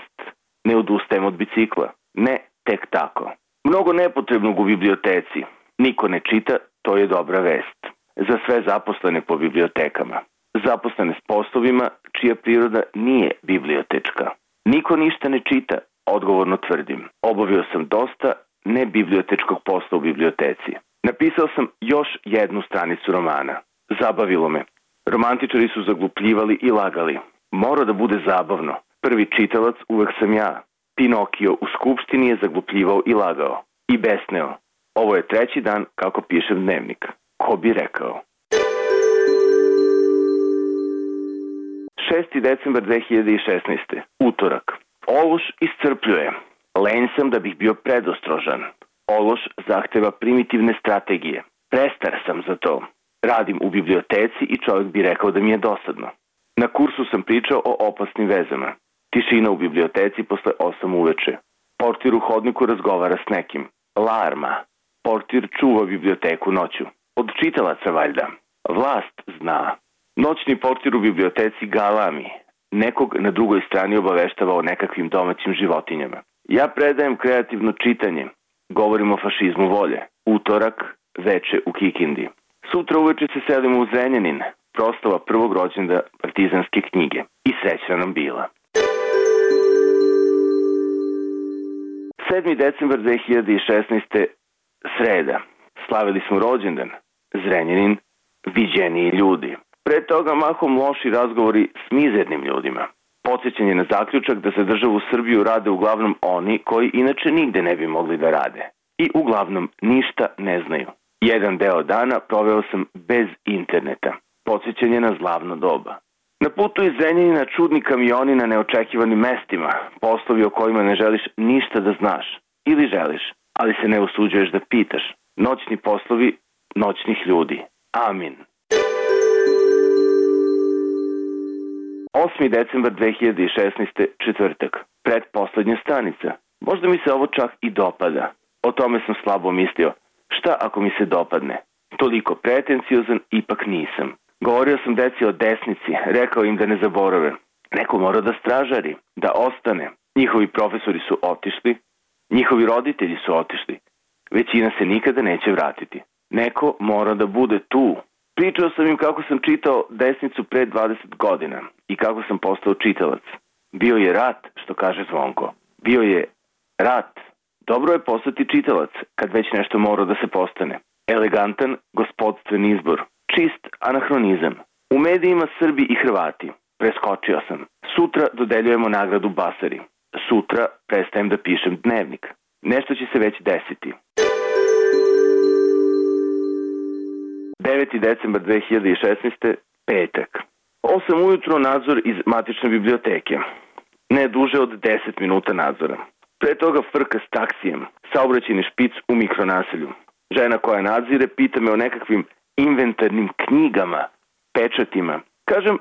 Ne odustajem od bicikla. Ne tek tako. Mnogo nepotrebnog u biblioteci. Niko ne čita, to je dobra vest. Za sve zaposlene po bibliotekama. Zaposlene s poslovima čija priroda nije bibliotečka. Niko ništa ne čita, odgovorno tvrdim. Obavio sam dosta nebibliotečkog posla u biblioteci. Napisao sam još jednu stranicu romana. Zabavilo me. Romantičari su zaglupljivali i lagali. Mora da bude zabavno. Prvi čitalac uvek sam ja. Pinokio u skupštini je zaglupljivao i lagao. I besneo. Ovo je 3. dan kako pišem dnevnik. Ko bi rekao? 6. decembar 2016. Utorak. Ološ iscrpljuje. Lenj sam da bih bio predostrožan. Ološ zahteva primitivne strategije. Prestar sam za to. Radim u biblioteci i čovjek bi rekao da mi je dosadno. Na kursu sam pričao o opasnim vezama. Tišina u biblioteci posle 8 uveče. Portir u hodniku razgovara s nekim. Larma. Portir čuva biblioteku noću. Od čitalaca valjda. Vlast zna. Noćni portir u biblioteci galami. Nekog na drugoj strani obaveštava o nekakvim domaćim životinjama. Ja predajem kreativno čitanje. Govorim o fašizmu volje. Utorak, veče u Kikindi. Sutra uveče se selimo u Zrenjanin. Proslava prvog rođenda partizanske knjige. I srećna nam bila. 7. decembar 2016. Sreda. Slavili smo rođendan. Zrenjanin, viđeniji ljudi. Pre toga mahom loši razgovori s mizernim ljudima. Podsjećanje na zaključak da za državu Srbiju rade uglavnom oni koji inače nigde ne bi mogli da rade. I uglavnom ništa ne znaju. Jedan deo dana proveo sam bez interneta. Podsjećanje na zlavno doba. Na putu iz Zrenjanina čudni kamioni na neočekivanim mestima, poslovi o kojima ne želiš ništa da znaš. Ili želiš, ali se ne usuđuješ da pitaš. Noćni poslovi noćnih ljudi. Amin. 8. decembar 2016. četvrtak. Pretposlednja stanica. Možda mi se ovo čak i dopada. O tome sam slabo mislio. Šta ako mi se dopadne? Toliko pretenciozan ipak nisam. Govorio sam deci o desnici, rekao im da ne zaborave. Neko mora da stražari, da ostane. Njihovi profesori su otišli, njihovi roditelji su otišli. Većina se nikada neće vratiti. Neko mora da bude tu. Pričao sam im kako sam čitao desnicu pre 20 godina i kako sam postao čitalac. Bio je rat, što kaže Zvonko. Bio je rat. Dobro je postati čitalac, kad već nešto mora da se postane. Elegantan, gospodstven izbor. Čist anahronizam. U medijima Srbi i Hrvati. Preskočio sam. Sutra dodeljujemo nagradu Basari. Sutra prestajem da pišem dnevnik. Nešto će se već desiti. 9. decembar 2016. Petak. 8 ujutro nadzor iz matične biblioteke. Ne duže od 10 minuta nadzora. Pre toga frka s taksijem. Saobraćajni špic u mikronaselju. Žena koja nadzire pita me o nekakvim inventarnim knjigama, pečatima. Kažem,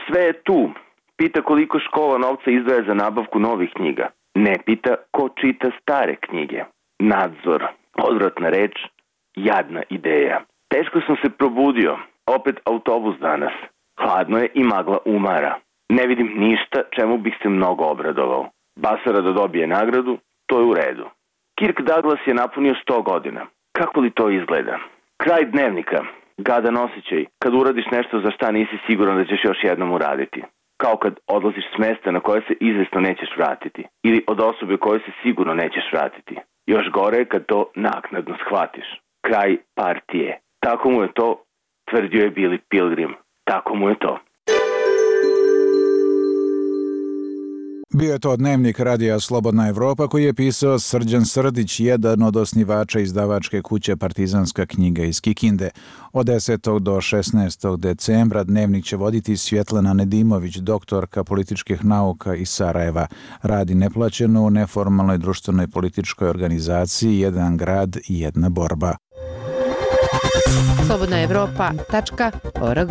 sve je tu. Pita koliko škola novca izdvaja za nabavku novih knjiga. Ne pita ko čita stare knjige. Nadzor. Odvratna reč. Jadna ideja. Teško sam se probudio. Opet autobus danas. Hladno je i magla umara. Ne vidim ništa čemu bih se mnogo obradovao. Basara da dobije nagradu, to je u redu. Kirk Douglas je napunio 100 godina. Kako li to izgleda? Kraj dnevnika. Gadan osjećaj. Kad uradiš nešto za šta nisi siguran da ćeš još jednom uraditi. Kao kad odlaziš s mesta na koje se izvesno nećeš vratiti. Ili od osobe koje se sigurno nećeš vratiti. Još gore je kad to naknadno shvatiš. Kraj partije. Tako mu je to, tvrdio je Billy Pilgrim. Tako mu je to. Bio je to dnevnik radija Slobodna Evropa koji je pisao Srđan Srdić, jedan od osnivača izdavačke kuće Partizanska knjiga iz Kikinde. Od 10. do 16. decembra dnevnik će voditi Svjetlana Nedimović, doktorka političkih nauka iz Sarajeva. Radi neplaćeno u neformalnoj društvenoj političkoj organizaciji Jedan grad i jedna borba. slobodnaevropa.org.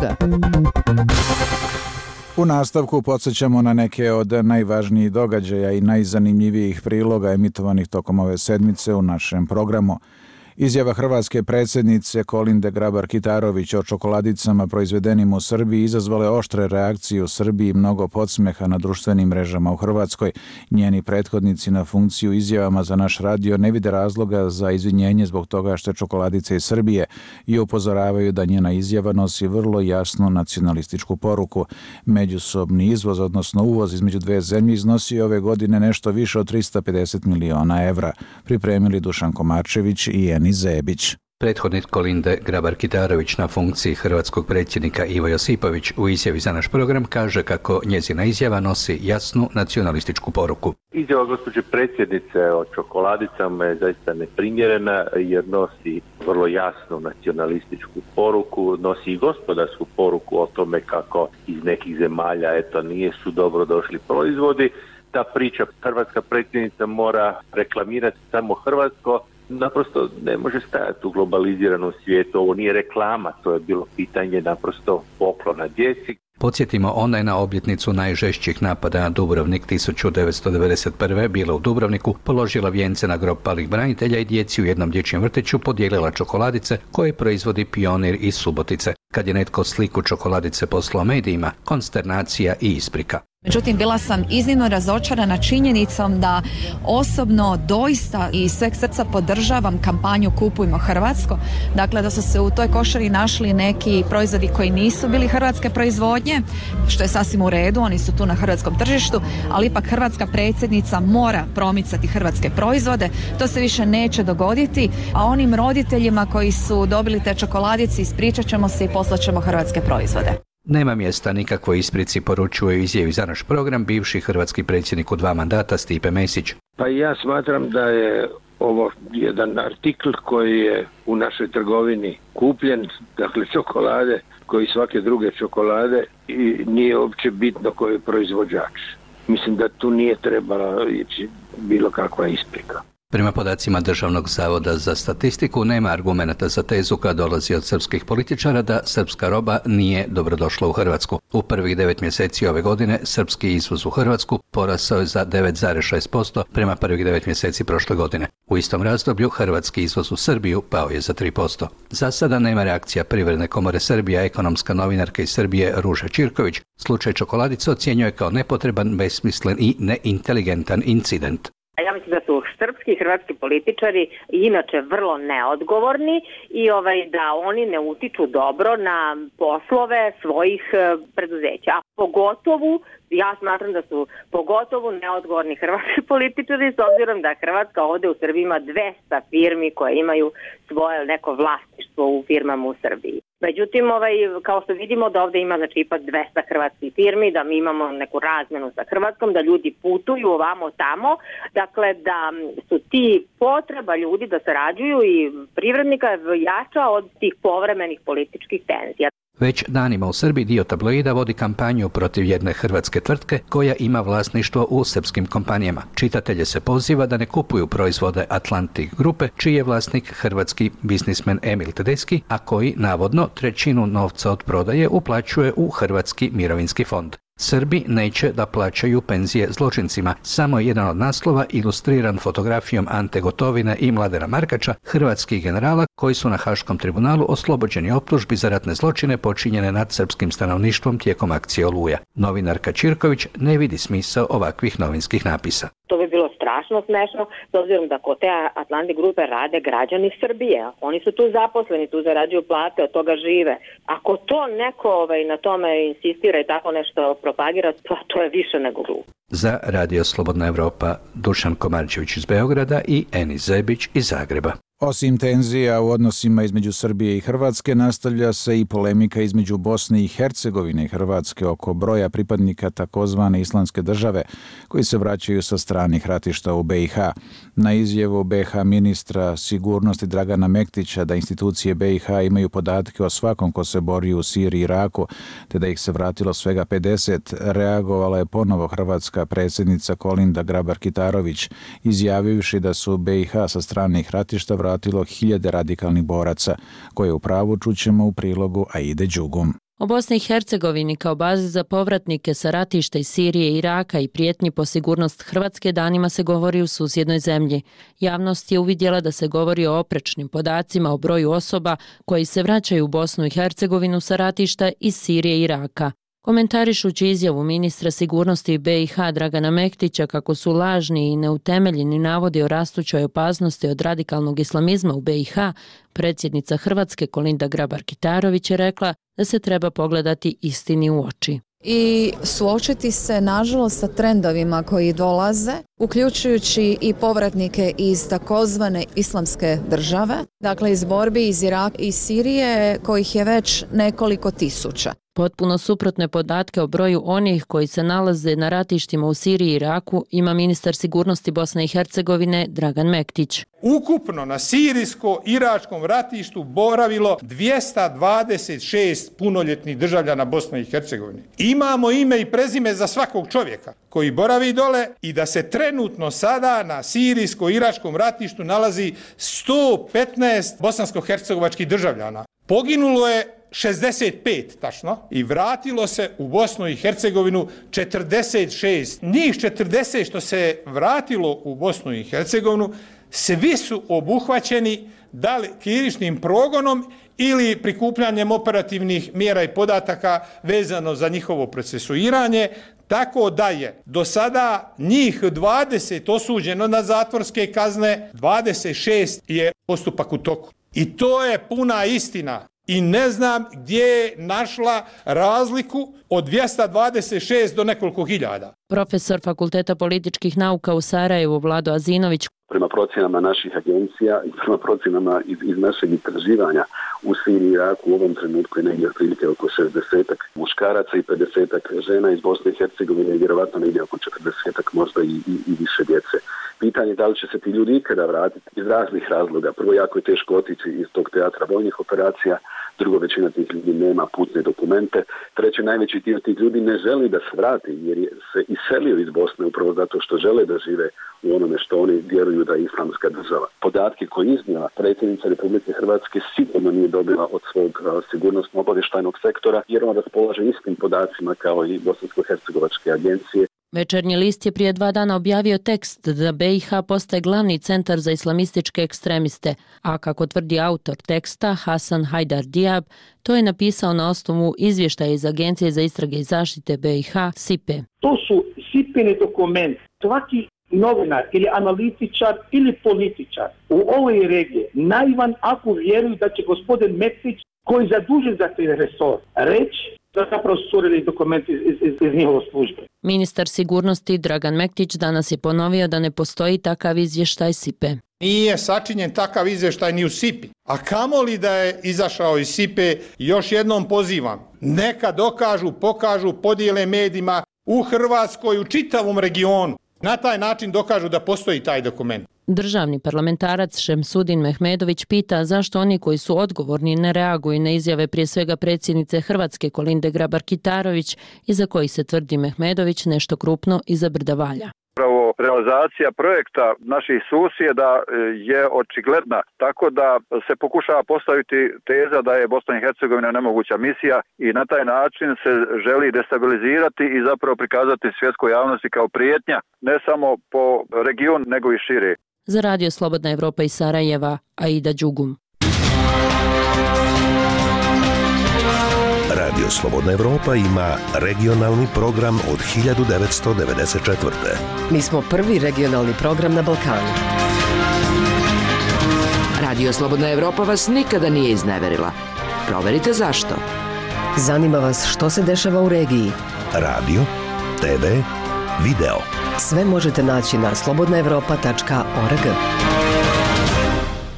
U nastavku podsjećamo na neke od najvažnijih događaja i najzanimljivijih priloga emitovanih tokom ove sedmice u našem programu. Izjava hrvatske predsjednice Kolinde Grabar-Kitarović o čokoladicama proizvedenim u Srbiji izazvale oštre reakcije u Srbiji i mnogo podsmeha na društvenim mrežama u Hrvatskoj. Njeni prethodnici na funkciju izjavama za naš radio ne vide razloga za izvinjenje zbog toga što je čokoladica iz Srbije i upozoravaju da njena izjava nosi vrlo jasnu nacionalističku poruku. Međusobni izvoz, odnosno uvoz između dve zemlje iznosi ove godine nešto više od 350 miliona evra. Pripremili Dušan Komarčević i Eni Zebić. Prethodnik Kolinde Grabar-Kitarović na funkciji hrvatskog predsjednika Ivo Josipović u izjavi za naš program kaže kako njezina izjava nosi jasnu nacionalističku poruku. Izjava gospođe predsjednice o čokoladicama je zaista neprimjerena jer nosi vrlo jasnu nacionalističku poruku, nosi i gospodarsku poruku o tome kako iz nekih zemalja nisu dobro došli proizvodi. Ta priča hrvatska predsjednica mora reklamirati samo hrvatsko, naprosto ne može stajati u globaliziranom svijetu. Ovo nije reklama, to je bilo pitanje naprosto poklona djeci. Podsjetimo, ona je na obljetnicu najžešćih napada na Dubrovnik 1991. bila u Dubrovniku, položila vijence na grob palih branitelja i djeci u jednom dječjem vrtiću podijelila čokoladice koje proizvodi Pionir iz Subotice. Kad je netko sliku čokoladice poslao medijima, konsternacija i isprika. Međutim, bila sam iznimno razočarana činjenicom da osobno doista i sveg srca podržavam kampanju Kupujmo hrvatsko. Dakle, da su se u toj košari našli neki proizvodi koji nisu bili hrvatske proizvodnje, što je sasvim u redu, oni su tu na hrvatskom tržištu, ali ipak hrvatska predsjednica mora promicati hrvatske proizvode. To se više neće dogoditi, a onim roditeljima koji su dobili te čokoladice ispričat ćemo se i poslat ćemo hrvatske proizvode. Nema mjesta nikakvoj isprici, poručuje u izjavi za naš program bivši hrvatski predsjednik u 2 mandata Stipe Mesić. Pa ja smatram da je ovo jedan artikl koji je u našoj trgovini kupljen, dakle čokolade, koji svake druge čokolade, i nije uopće bitno koji je proizvođač. Mislim da tu nije trebala ići bilo kakva isprika. Prema podacima Državnog zavoda za statistiku nema argumenata za tezu koja dolazi od srpskih političara da srpska roba nije dobrodošla u Hrvatsku. U prvih 9 mjeseci ove godine srpski izvoz u Hrvatsku porasao je za 9,6% prema prvih 9 mjeseci prošle godine. U istom razdoblju hrvatski izvoz u Srbiju pao je za 3%. Za sada nema reakcija Privredne komore Srbije, a ekonomska novinarka iz Srbije Ruža Čirković slučaj čokoladice ocjenjuje kao nepotreban, besmislen i neinteligentan incident. Ja mislim da su srpski i hrvatski političari inače vrlo neodgovorni i da oni ne utiču dobro na poslove svojih preduzeća. A pogotovo, ja smatram da su pogotovo neodgovorni hrvatski političari, s obzirom da Hrvatska ovde u Srbiji ima 200 firmi koje imaju svoje neko vlasništvo u firmama u Srbiji. Međutim, kao što vidimo da ovde ima ipak 200 hrvatskih firmi, da mi imamo neku razmenu sa Hrvatskom, da ljudi putuju ovamo tamo, dakle da su ti potreba ljudi da sarađuju i privrednika jača od tih povremenih političkih tenzija. Već danima u Srbiji dio tabloida vodi kampanju protiv jedne hrvatske tvrtke koja ima vlasništvo u srpskim kompanijama. Čitatelje se poziva da ne kupuju proizvode Atlantic grupe, čiji je vlasnik hrvatski biznismen Emil Tedeschi, a koji navodno 1/3 novca od prodaje uplaćuje u Hrvatski mirovinski fond. Srbi neće da plaćaju penzije zločincima. Samo je jedan od naslova ilustriran fotografijom Ante Gotovine i Mladena Markača, hrvatskih generala koji su na Haškom tribunalu oslobođeni optužbi za ratne zločine počinjene nad srpskim stanovništvom tijekom akcije Oluja. Novinarka Čirković ne vidi smisao ovakvih novinskih napisa. To bi bilo strašno smešno, s obzirom da kod te Atlantic grupe rade građani Srbije. Oni su tu zaposleni, tu zarađuju plate, od toga žive. Ako to neko na tome insistira i tako nešto propagira, to je više nego glupo. Za Radio Slobodna Evropa, Dušan Komarčević iz Beograda i Enis Zebić iz Zagreba. Osim tenzija u odnosima između Srbije i Hrvatske, nastavlja se i polemika između Bosne i Hercegovine i Hrvatske oko broja pripadnika takozvane Islamske države koji se vraćaju sa stranih ratišta u BiH. Na izjavu BiH ministra sigurnosti Dragana Mektića da institucije BiH imaju podatke o svakom ko se bori u Siriji i Iraku, te da ih se vratilo svega 50, reagovala je ponovo hrvatska predsjednica Kolinda Grabar-Kitarović, izjavivši da su BiH sa stranih ratišta vratilo 1000 radikalnih boraca, koje u pravu čućemo u prilogu Aide Đugum. O Bosni i Hercegovini kao bazi za povratnike sa ratišta iz Sirije i Iraka i prijetnji po sigurnost Hrvatske danima se govori u susjednoj zemlji. Javnost je uvidjela da se govori o oprečnim podacima o broju osoba koji se vraćaju u Bosnu i Hercegovinu sa ratišta iz Sirije i Iraka. Komentarišući izjavu ministra sigurnosti BiH Dragana Mektića kako su lažni i neutemeljeni navodi o rastućoj opasnosti od radikalnog islamizma u BiH, predsjednica Hrvatske Kolinda Grabar-Kitarović je rekla da se treba pogledati istini u oči. I suočiti se nažalost sa trendovima koji dolaze uključujući i povratnike iz takozvane islamske države, dakle iz borbi iz Iraka i Sirije, kojih je već nekoliko tisuća. Potpuno suprotne podatke o broju onih koji se nalaze na ratištima u Siriji i Iraku ima ministar sigurnosti Bosne i Hercegovine Dragan Mektić. Ukupno na sirijsko-iračkom ratištu boravilo 226 punoljetnih državljana Bosne i Hercegovine. Imamo ime i prezime za svakog čovjeka koji boravi dole i da se trenutno sada na sirijsko-iračkom ratištu nalazi 115 bosansko-hercegovačkih državljana. Poginulo je 65 tačno i vratilo se u Bosnu i Hercegovinu 46. Njih 40 što se vratilo u Bosnu i Hercegovinu, svi su obuhvaćeni da li krivičnim progonom ili prikupljanjem operativnih mjera i podataka vezano za njihovo procesuiranje, tako da je do sada njih 20 osuđeno na zatvorske kazne, 26 je postupak u toku. I to je puna istina. I ne znam gdje je našla razliku od 226 do nekoliko hiljada. Profesor Fakulteta političkih nauka u Sarajevu Vlado Azinović. Prema procjenama naših agencija i prema procjenama iz našeg istraživanja u Siriji i Iraku u ovom trenutku je negdje otprilike oko 60 muškaraca i 50 žena iz Bosne i Hercegovine i vjerovatno negdje oko 40 možda i više djece. Pitanje je da li će se ti ljudi ikada vratiti iz raznih razloga. Prvo, jako je teško otići iz tog teatra vojnih operacija. Drugo, većina tih ljudi nema putne dokumente. Treće, najveći dio tih ljudi ne želi da se vrati jer se iselio iz Bosne upravo zato što žele da žive u onome što oni vjeruju da je islamska država. Podatke koje iznijela predsjednica Republike Hrvatske sigurno nije dobila od svog sigurnosno-obavještajnog sektora jer on raspolaže istim podacima kao i bosansko-hercegovačke agencije. Večernji list je prije 2 dana objavio tekst da BiH postaje glavni centar za islamističke ekstremiste, a kako tvrdi autor teksta Hasan Hajdar Diab, to je napisao na osnovu izvještaja iz Agencije za istrage i zaštite BiH, SIPE. To su SIPE-ni dokumenti. Svaki novinar ili analitičar ili političar u ovoj regiji naivan ako vjeruju da će gospodin Mektić, koji je zadužen za taj resor, reći da zapravo su curili dokumenti iz njihove službe. Ministar sigurnosti Dragan Mektić danas je ponovio da ne postoji takav izvještaj SIPE. Nije sačinjen takav izvještaj ni u SIPI. A kamoli da je izašao iz SIPE, još jednom pozivam. Neka dokažu, pokažu, podijele medijima u Hrvatskoj, u čitavom regionu. Na taj način dokažu da postoji taj dokument. Državni parlamentarac Šemsudin Mehmedović pita zašto oni koji su odgovorni ne reaguju na izjave prije svega predsjednice Hrvatske Kolinde Grabar-Kitarović iza kojih se tvrdi Mehmedović nešto krupno iza brda valja. Upravo realizacija projekta naših susjeda je očigledna, tako da se pokušava postaviti teza da je Bosna i Hercegovina nemoguća misija i na taj način se želi destabilizirati i zapravo prikazati svjetskoj javnosti kao prijetnja, ne samo po regionu nego i šire. Za Radio Slobodna Evropa iz Sarajeva, Aida Đugum. Radio Slobodna Evropa ima regionalni program od 1994. Mi smo prvi regionalni program na Balkanu. Radio Slobodna Evropa vas nikada nije izneverila. Proverite zašto. Zanima vas što se dešava u regiji. Radio, TV, video. Sve možete naći na slobodnaevropa.org.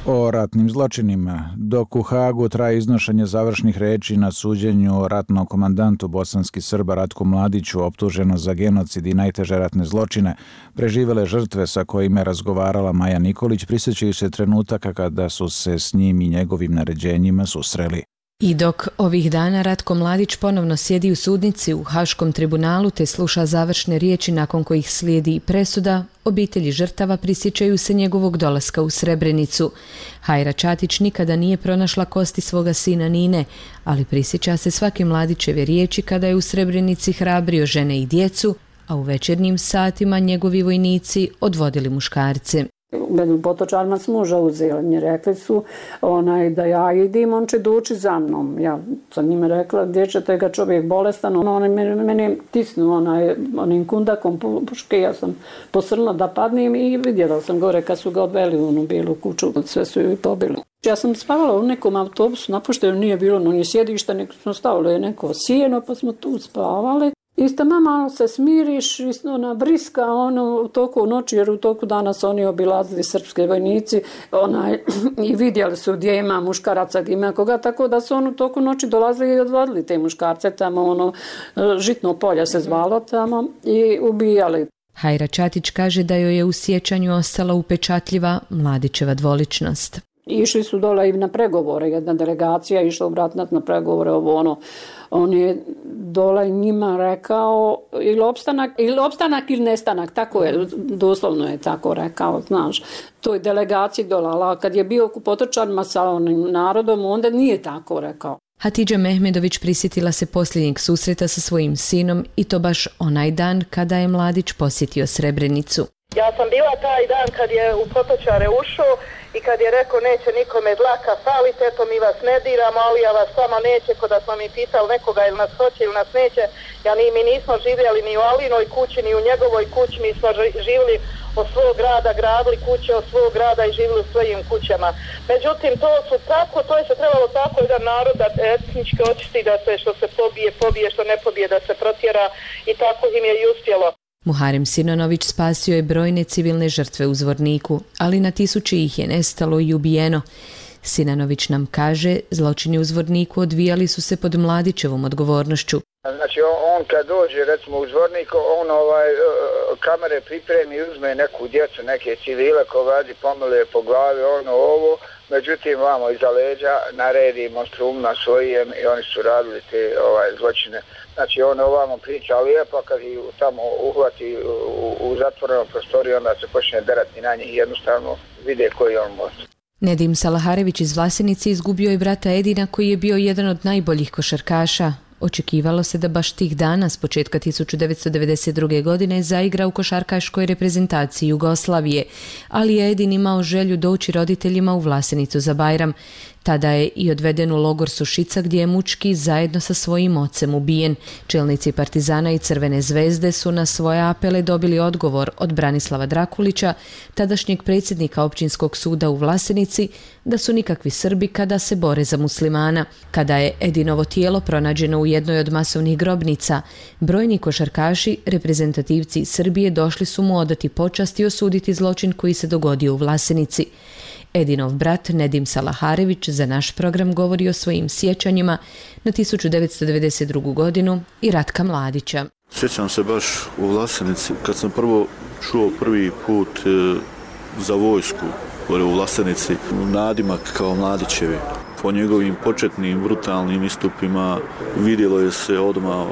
O ratnim zločinima. Dok u Hagu traje iznošenje završnih reči na suđenju ratnom komandantu bosanskih Srba Ratku Mladiću optuženo za genocid i najteže ratne zločine, preživele žrtve sa kojima je razgovarala Maja Nikolić prisjećaju se trenutaka kada su se s njim i njegovim naređenjima susreli. I dok ovih dana Ratko Mladić ponovno sjedi u sudnici u Haškom tribunalu te sluša završne riječi nakon kojih slijedi i presuda, obitelji žrtava prisjećaju se njegovog dolaska u Srebrenicu. Hajra Čatić nikada nije pronašla kosti svoga sina Nine, ali prisjeća se svake Mladićeve riječi kada je u Srebrenici hrabrio žene i djecu, a u večernjim satima njegovi vojnici odvodili muškarce. Među potočarima s muža uzeli. Meni rekli su da ja idim, on će doći za mnom. Ja sam njima rekla, gdje ćete ga, čovjek bolestan. Oni meni tisnu onim kundakom puške. Ja sam posrla da padnem i vidjela sam gore kad su ga odveli u onu bijelu kuću. Sve su ju pobili. Ja sam spavala u nekom autobusu, napušteno nije bilo ni sjedišta, nego smo stavili neko sjeno pa smo tu spavali. Isto malo se smiriš, ona briska u toku noći, jer u toku dana su oni obilazili srpske vojnici i vidjeli su gdje ima muškaraca, gdje ima koga, tako da su u toku noći dolazili i odvodili te muškarce tamo, Žitno polje se zvalo tamo i ubijali. Hajra Čatić kaže da joj je u sjećanju ostala upečatljiva Mladićeva dvoličnost. Išli su dole i na pregovore, jedna delegacija išla u Bratnac na pregovore, on je dole njima rekao ili opstanak ili nestanak, tako je, doslovno je tako rekao, znaš, toj delegaciji dole, a kad je bio u Potočanima sa onim narodom, onda nije tako rekao. Hatidža Mehmedović prisjetila se posljednjeg susreta sa svojim sinom i to baš onaj dan kada je Mladić posjetio Srebrenicu. Ja sam bila taj dan kad je u Potočare ušao i kad je rekao neće nikome dlaka falite, eto mi vas ne diramo, ali ja vas samo neće, ko da smo mi pitali nekoga ili nas hoće ili nas neće. Mi nismo živjeli ni u Alinoj kući, ni u njegovoj kući, mi smo živjeli od svog grada, gradili kuće od svog grada i živjeli u svojim kućama. Međutim, to je se trebalo tako jedan narod da etnički očisti, da se što se pobije, što ne pobije, da se protjera i tako im je i uspjelo. Muharem Sinonović spasio je brojne civilne žrtve u Zvorniku, ali na tisuće ih je nestalo i ubijeno. Sinanović nam kaže, zločini u Zvorniku odvijali su se pod Mladićevom odgovornošću. Znači on kad dođe recimo u Zvornik, on kamere pripremi, uzme neku djecu, neke civile ko vadi, pomiluje po glavi, ovo, međutim vamo iza leđa naredi monstrumna svojem i oni su radili te zločine. Znači on ovamo priča lijepo, kad ih tamo uhvati u zatvorenom prostoriju, onda se počne derati na njih, jednostavno vide koji on može. Nedim Salaharević iz Vlasenice izgubio je brata Edina koji je bio jedan od najboljih košarkaša. Očekivalo se da baš tih dana s početka 1992. godine zaigra u košarkaškoj reprezentaciji Jugoslavije, ali je Edin imao želju doći roditeljima u Vlasenicu za Bajram. Tada je i odveden u logor Sušica gdje je mučki zajedno sa svojim ocem ubijen. Čelnici Partizana i Crvene zvezde su na svoje apele dobili odgovor od Branislava Drakulića, tadašnjeg predsjednika općinskog suda u Vlasenici, da su nikakvi Srbi kada se bore za muslimana. Kada je Edinovo tijelo pronađeno u jednoj od masovnih grobnica, brojni košarkaši, reprezentativci Srbije došli su mu odati počast i osuditi zločin koji se dogodio u Vlasenici. Edinov brat Nedim Salaharević za naš program govori o svojim sjećanjima na 1992. godinu i Ratka Mladića. Sjećam se baš u Vlasenici kad sam čuo prvi put za vojsku u Vlasenici, nadimak kao Mladićevi. Po njegovim početnim brutalnim istupima vidjelo je se odmah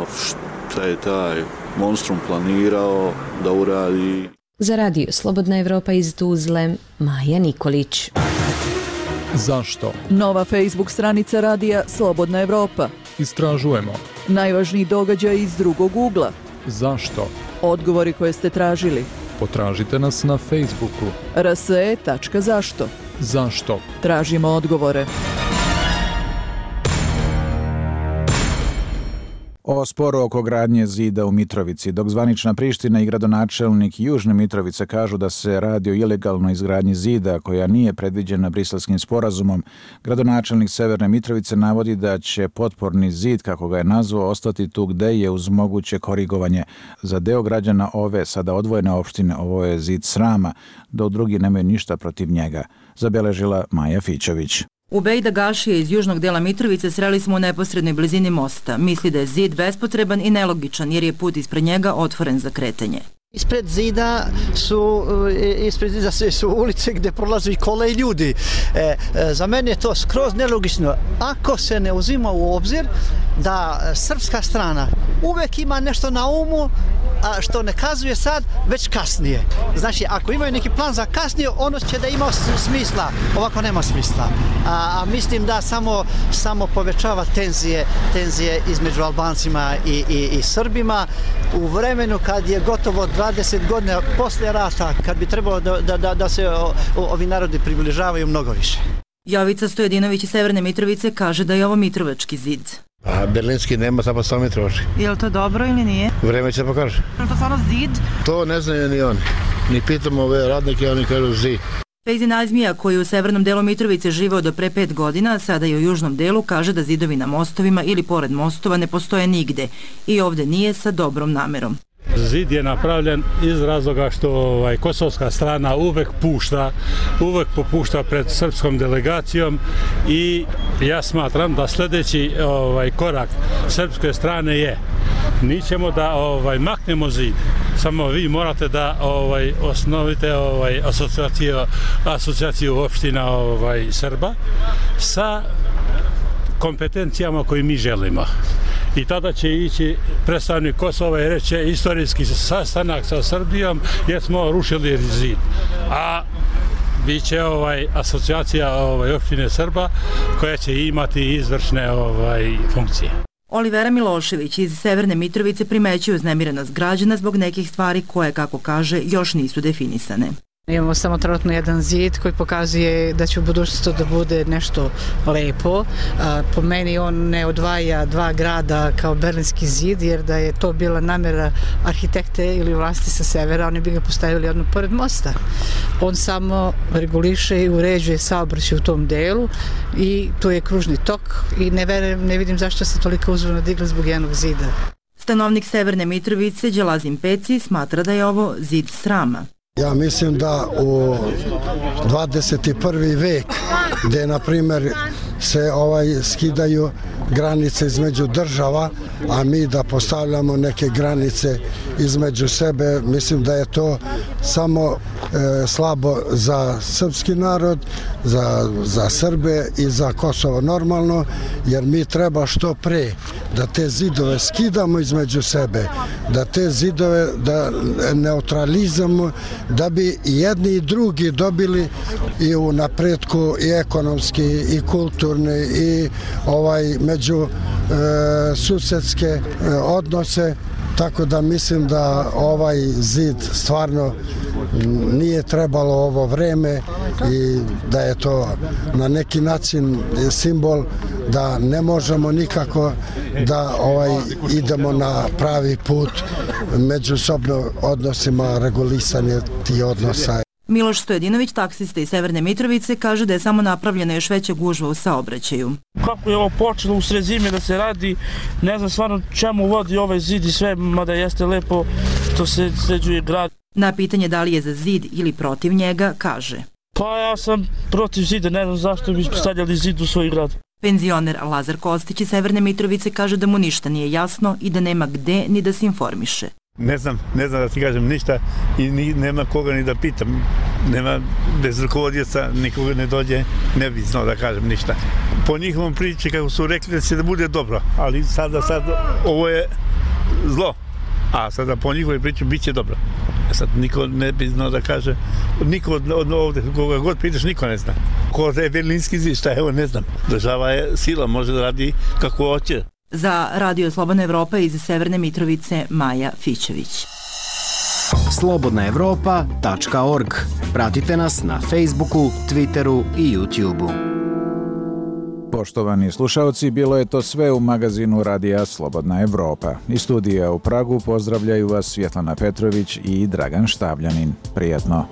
šta je taj monstrum planirao da uradi. Za radio Slobodna Evropa iz Tuzle, Maja Nikolić. Zašto? Nova Facebook stranica radija Slobodna Evropa. Istražujemo. Najvažniji događaj iz drugog ugla. Zašto? Odgovori koje ste tražili. Potražite nas na Facebooku. rse.zašto. Zašto? Tražimo odgovore. O sporu oko gradnje zida u Mitrovici, dok zvanična Priština i gradonačelnik Južne Mitrovice kažu da se radi o ilegalnoj izgradnji zida koja nije predviđena Briselskim sporazumom, gradonačelnik Severne Mitrovice navodi da će potporni zid, kako ga je nazvao, ostati tu gde je uz moguće korigovanje. Za deo građana ove sada odvojene opštine ovo je zid srama, dok drugi nemaju ništa protiv njega, zabeležila Maja Fićović. Ubejda Gašija iz južnog dela Mitrovice sreli smo u neposrednoj blizini mosta. Misli da je zid bespotreban i nelogičan jer je put ispred njega otvoren za kretanje. Ispred zida su ulice gdje prolaze i kole i ljudi. Za mene je to skroz nelogično. Ako se ne uzima u obzir da srpska strana uvek ima nešto na umu, a što ne kazuje sad, već kasnije. Znači, ako imaju neki plan za kasnije, ono će da ima smisla. Ovako nema smisla. A mislim da samo povećava tenzije između Albancima i Srbima u vremenu kad je gotovo 20 godina posle rata, kad bi trebalo da se ovi narodi približavaju mnogo više. Jovica Stojedinović iz Severne Mitrovice kaže da je ovo Mitrovački zid. A berlinski nema, samo Mitrovački. Je li to dobro ili nije? Vreme će pokaže. Je li to stvarno zid? To ne znaju ni oni. Ni pitamo ove radnike, oni kažu zid. Fejzi Nazmija, koji u severnom delu Mitrovice živeo do pre 5 godina, sada i u južnom delu, kaže da zidovi na mostovima ili pored mostova ne postoje nigde i ovde nije sa dobrom namerom. Zid je napravljen iz razloga što kosovska strana uvek popušta pred srpskom delegacijom i ja smatram da sljedeći korak srpske strane je mi ćemo da maknemo zid. Samo vi morate da osnovite asocijaciju opština Srba sa kompetencijama koje mi želimo. I tada će ići predstavnik Kosova i reći istorijski sastanak sa Srbijom jer smo rušili zid. A bit će asocijacija opštine Srba koja će imati izvršne funkcije. Olivera Milošević iz Severne Mitrovice primećuje uznemirenost građana zbog nekih stvari koje, kako kaže, još nisu definisane. Imamo samo trenutno jedan zid koji pokazuje da će u budućnosti da bude nešto lepo. Po meni on ne odvaja dva grada kao Berlinski zid, jer da je to bila namjera arhitekte ili vlasti sa severa, oni bi ga postavili odmah pored mosta. On samo reguliše i uređuje saobraćaj u tom delu i tu je kružni tok i ne vidim zašto se toliko uzvorno digla zbog jednog zida. Stanovnik Severne Mitrovice, Đelazim Peci, smatra da je ovo zid srama. Ja mislim da u 21. vek gdje na primjer se skidaju granice između država, a mi da postavljamo neke granice između sebe, mislim da je to samo slabo za srpski narod, za Srbe i za Kosovo normalno, jer mi treba što pre da te zidove skidamo između sebe, da te zidove da neutralizamo, da bi jedni i drugi dobili i u napretku i ekonomski i kulturni i među susedske odnose, tako da mislim da ovaj zid stvarno nije trebalo ovo vreme i da je to na neki način simbol da ne možemo nikako da idemo na pravi put međusobno odnosima, regulisanje tih odnosa. Miloš Stojedinović, taksista iz Severne Mitrovice, kaže da je samo napravljena još veća gužva u saobraćaju. Kako je ovo počelo u sred zime da se radi, ne znam stvarno čemu vodi ovaj zid i sve, mada jeste lepo što se sređuje grad. Na pitanje da li je za zid ili protiv njega, kaže: Pa ja sam protiv zida, ne znam zašto bi stavljali zid u svoj grad. Penzioner Lazar Kostić iz Severne Mitrovice kaže da mu ništa nije jasno i da nema gde ni da se informiše. Ne znam da ti kažem ništa i nema koga ni da pitam. Nema, bez rukovodioca nikoga ne dođe, ne bi znao da kažem ništa. Po njihovom priči, kako su rekli, da će da bude dobro, ali sad ovo je zlo, a sada po njihovoj priči bit će dobro. Sad niko ne bi znao da kaže, niko od ovde, koga god pitaš, niko ne zna. Ko je Berlinski zid, šta je ovo, ne znam. Država je sila, može da radi kako hoće. Za Radio Slobodna Evropa iz Severne Mitrovice, Maja Fićević. slobodnaevropa.org. Pratite nas na Facebooku, Twitteru i YouTubeu. Poštovani slušalci, bilo je to sve u magazinu Radija Slobodna Evropa. Iz studija u Pragu pozdravljaju vas Svjetlana Petrović i Dragan Štavljanin. Prijatno.